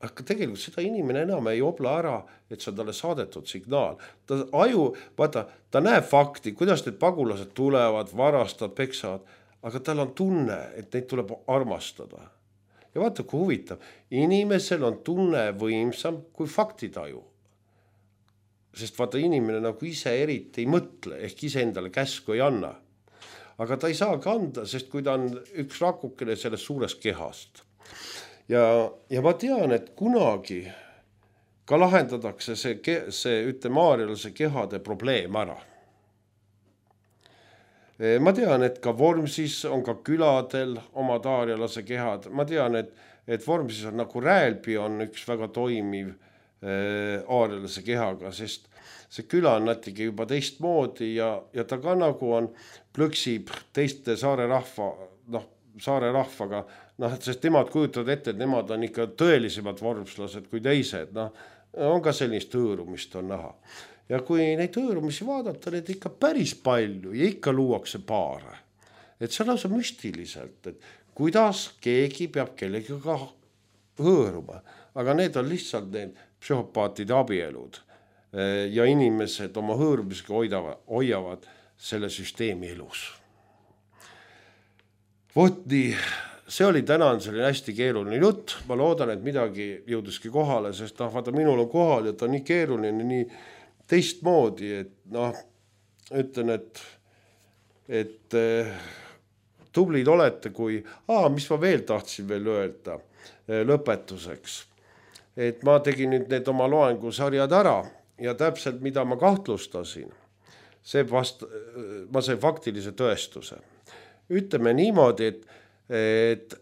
Aga tegelikult seda inimene enam ei obla ära, et see on talle saadetud signaal. Ta aju, vaata, ta näeb fakti, kuidas need pagulased tulevad, varastavad, peksavad, aga tal on tunne, et neid tuleb armastada. Ja vaata, kui huvitav, inimesel on tunne võimsam kui faktitaju. Sest vaata, inimene nagu ise eriti ei mõtle, ehk ise endale käsku ei anna. Aga ta ei saa kanda, sest kui ta on üks rakukene sellest suurest kehast. Ja, ja ma tean, et kunagi ka lahendatakse see, see ütleme, aarialase kehade probleem ära. Ma tean, et ka Vormsis on ka küladel omad aarialase kehad. Ma tean, et, et Vormsis on nagu Räälbi on üks väga toimiv äh, aarialase kehaga, sest see küla on natuke juba teistmoodi ja, ja ta ka nagu on plõksib teiste saare rahva, noh, saare rahvaga, noh, sest nemad kujutavad ette, et nemad on ikka tõelisemad vormslased kui teised, noh, on ka sellist hõõrumist on näha. Ja kui neid hõõrumisi vaadata, need ikka päris palju ja ikka luuakse paare. Et see on lausa müstiliselt, et kuidas keegi peab kellegiga hõõruma. Aga need on lihtsalt need psühhopaatide abielud ja inimesed oma hõõrumisega hoidavad, hoiavad selle süsteemi elus. Vot nii, see oli tänan selline hästi keeruline jutt. Ma loodan, et midagi jõuduski kohale, sest noh, vaata, minul on kohal ja ta on nii keeruline, nii teistmoodi, et noh, ütlen, et, et eh, tublid olete, kui, aa, mis ma veel tahtsin veel öelda eh, lõpetuseks. Et ma tegin nüüd need oma loengusarjad ära ja täpselt, mida ma kahtlustasin, see vast, ma sain faktilise tõestuse. Ütleme niimoodi, et, et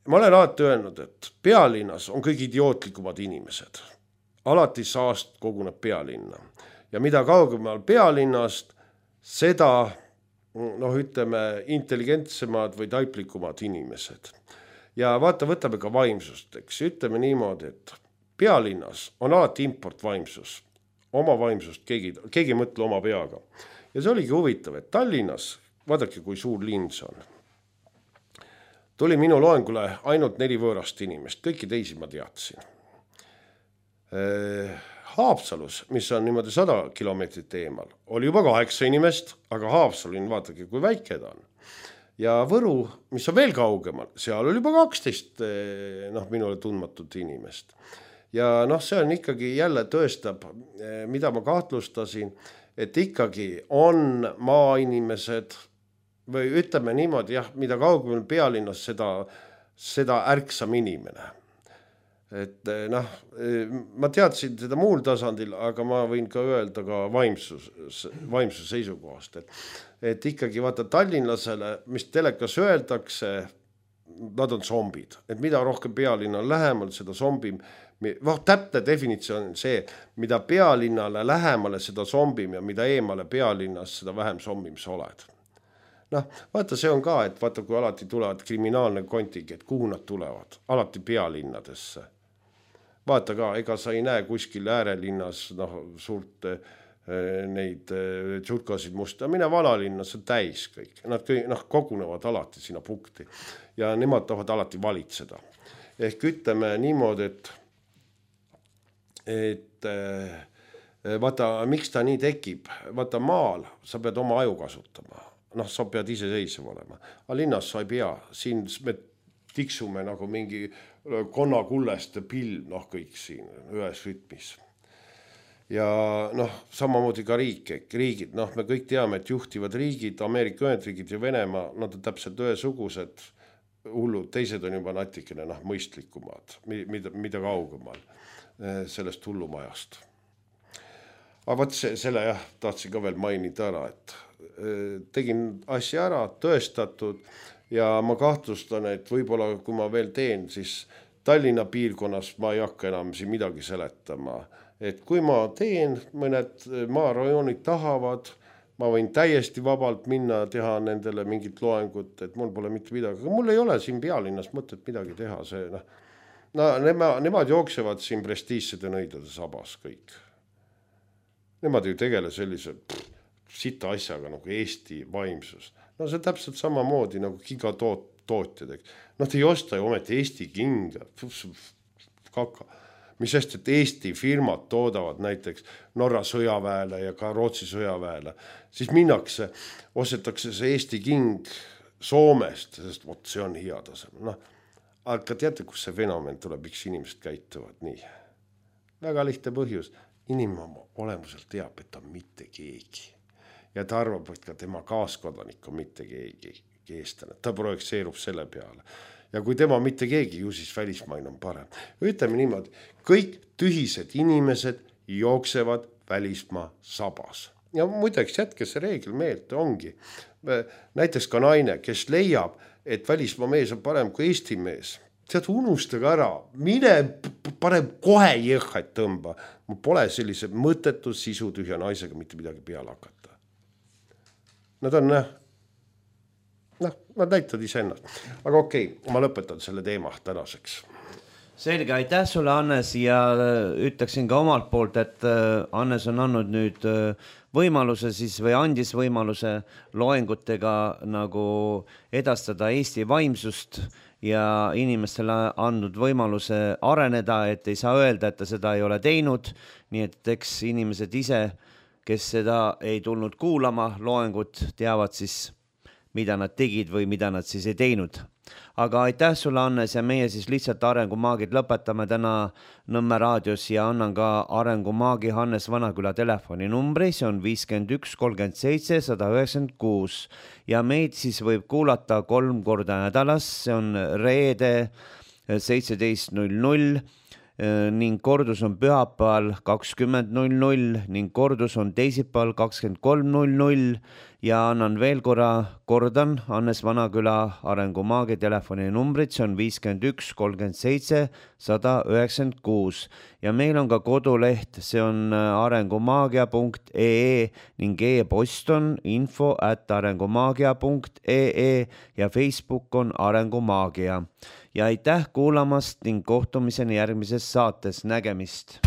ma olen alati öelnud, et pealinnas on kõik idiootlikumad inimesed. Alati saast koguneb pealinna. Ja mida kaugemal pealinnast, seda noh, ütleme, intelligentsemad või taiplikumad inimesed. Ja vaata, võtame ka vaimsust, eks ütleme niimoodi, et pealinnas on alati importvaimsus. Oma vaimsust keegi, keegi mõtle oma peaga. Ja see oligi huvitav, et Tallinnas, vaadake kui suur linn see on. Tuli minu loengule ainult neli võõrast inimest, kõiki teisi ma teadsin. Haapsalus, mis on niimoodi sada kilomeetrit eemal, oli juba kaheksa inimest, aga Haapsalin, vaadake, kui väike ta on. Ja Võru, mis on veel kaugemal, seal oli juba kaksteist noh, minule tundmatut inimest. Ja noh, see on ikkagi jälle tõestab, mida ma kahtlustasin, et ikkagi on maainimesed või ütleme niimoodi, jah, mida kaugemal pealinnas, seda, seda ärksam inimene. Et noh, ma teadsin seda muul tasandil, aga ma võin ka öelda ka vaimsus, vaimsus seisukohast. Et, et ikkagi vaata tallinlasele, mis telekas öeldakse, nad on zombid. Et mida rohkem pealinna on lähemal, seda zombim. Vah, täpne definitsioon on see, mida pealinnale lähemale, seda zombim ja mida eemale pealinnas, seda vähem zombim sa oled. Noh, vaata, see on ka, et vaata, kui alati tulevad kriminaalne kontingent, kuhu nad tulevad? Alati pealinnadesse. Vaata ka, ega sa ei näe kuskil äärelinnas noh, suurt eh, neid eh, tšutkasid musta. Mine vanalinnas on täis kõik. Nad kõik, noh, kogunevad alati sinna punkti ja nemad tahavad alati valitseda. Ehk ütleme niimoodi, et, et eh, vaata, miks ta nii tekib? Vaata, maal sa pead oma aju kasutama. Noh, sa pead ise seisev olema. Aga linnas sa ei pea. Siin me tiksume nagu mingi konnakulleste pilv, noh kõik siin ühes rütmis. Ja noh, samamoodi ka riik, riigid, noh me kõik teame, et juhtivad riigid, Ameerika Ühendriigid ja Venemaa, nad on täpselt ühesugused hullud, teised on juba natikene noh, mõistlikumad, mida, mida kaugemal sellest hullumajast. Aga võt see, selle jah, tahtsin ka veel mainida ära, et tegin asja ära, tõestatud ja ma kahtlustan, et võib-olla kui ma veel teen, siis Tallinna piirkonnas ma ei hakka enam siin midagi seletama. Et kui ma teen, mõned maarajoonid tahavad, ma võin täiesti vabalt minna teha nendele mingit loengut, et mul pole mitte midagi. Aga mul ei ole siin pealinnas mõtet midagi teha. See, noh, no, nemad, nemad jooksevad siin prestiigsede nõidade sabas kõik. Nemad ju tegele sellise pff, sita asjaga nagu Eesti vaimsus. No see täpselt samamoodi nagu gigatootjad. Nad ei osta ju ometi Eesti kinga. Kaka. Mis sest, et Eesti firmad toodavad näiteks Norra sõjaväele ja ka Rootsi sõjaväele. Siis minnakse, ostetakse see Eesti king Soomest, sest vot see on hea tasem. No, aga teate, kus see fenomen tuleb, miks inimesed käituvad nii? Väga lihtne põhjus. Inimene oma olemuselt teab, et ta on mitte keegi. Ja ta arvab, et ka tema kaaskodanik on mitte keegi eestlane. Ta projekseerub selle peale. Ja kui tema mitte keegi, ju siis välismaine on parem. Ütleme niimoodi, kõik tühised inimesed jooksevad välismaa sabas. Ja muideks jätke see reegel meelde ongi. Näiteks ka naine, kes leiab, et välismaa mees on parem kui Eesti mees. Tead, unustage ära, mine parem kohe jõhhaid tõmba. Mul pole sellise mõttetu sisutühja naisega mitte midagi peale hakata. Nad on, noh, nad näitavad ise ennast. Aga okei, ma lõpetan selle teema tänaseks. Selge, aitäh sulle, Hannes, ja ütleksin ka omalt poolt, et Hannes on andnud nüüd võimaluse siis või andis võimaluse loengutega nagu edastada Eesti vaimsust ja inimestele andnud võimaluse areneda, et ei saa öelda, et ta seda ei ole teinud, nii et eks inimesed ise, kes seda ei tulnud kuulama, loengut teavad siis, mida nad tegid või mida nad siis ei teinud. Aga aitäh sulle, Hannes, ja meie siis lihtsalt Arengumaagid lõpetame täna Nõmme raadios ja annan ka Arengumaagi Hannes Vanaküla telefoninumbri, see on viiskümmend üks kolmkümmend seitse sada üheksakümmend kuus ja meid siis võib kuulata kolm korda nädalas, see on reede seitseteist null null ning kordus on pühapäeval kakskümmend null null ning kordus on teisipäeval kakskümmend kolm null null ja annan veel korra, kordan Hannes Vanaküla Arengumaagi telefoni numbrid, see on viiskümmend üks kolmkümmend seitse sada üheksakümmend kuus ja meil on ka koduleht, see on arengumaagia punkt ee ning e-post on info at arengumaagia punkt ee ja Facebook on Arengumaagia. Ja aitäh kuulamast ning kohtumiseni järgmises saates, nägemist!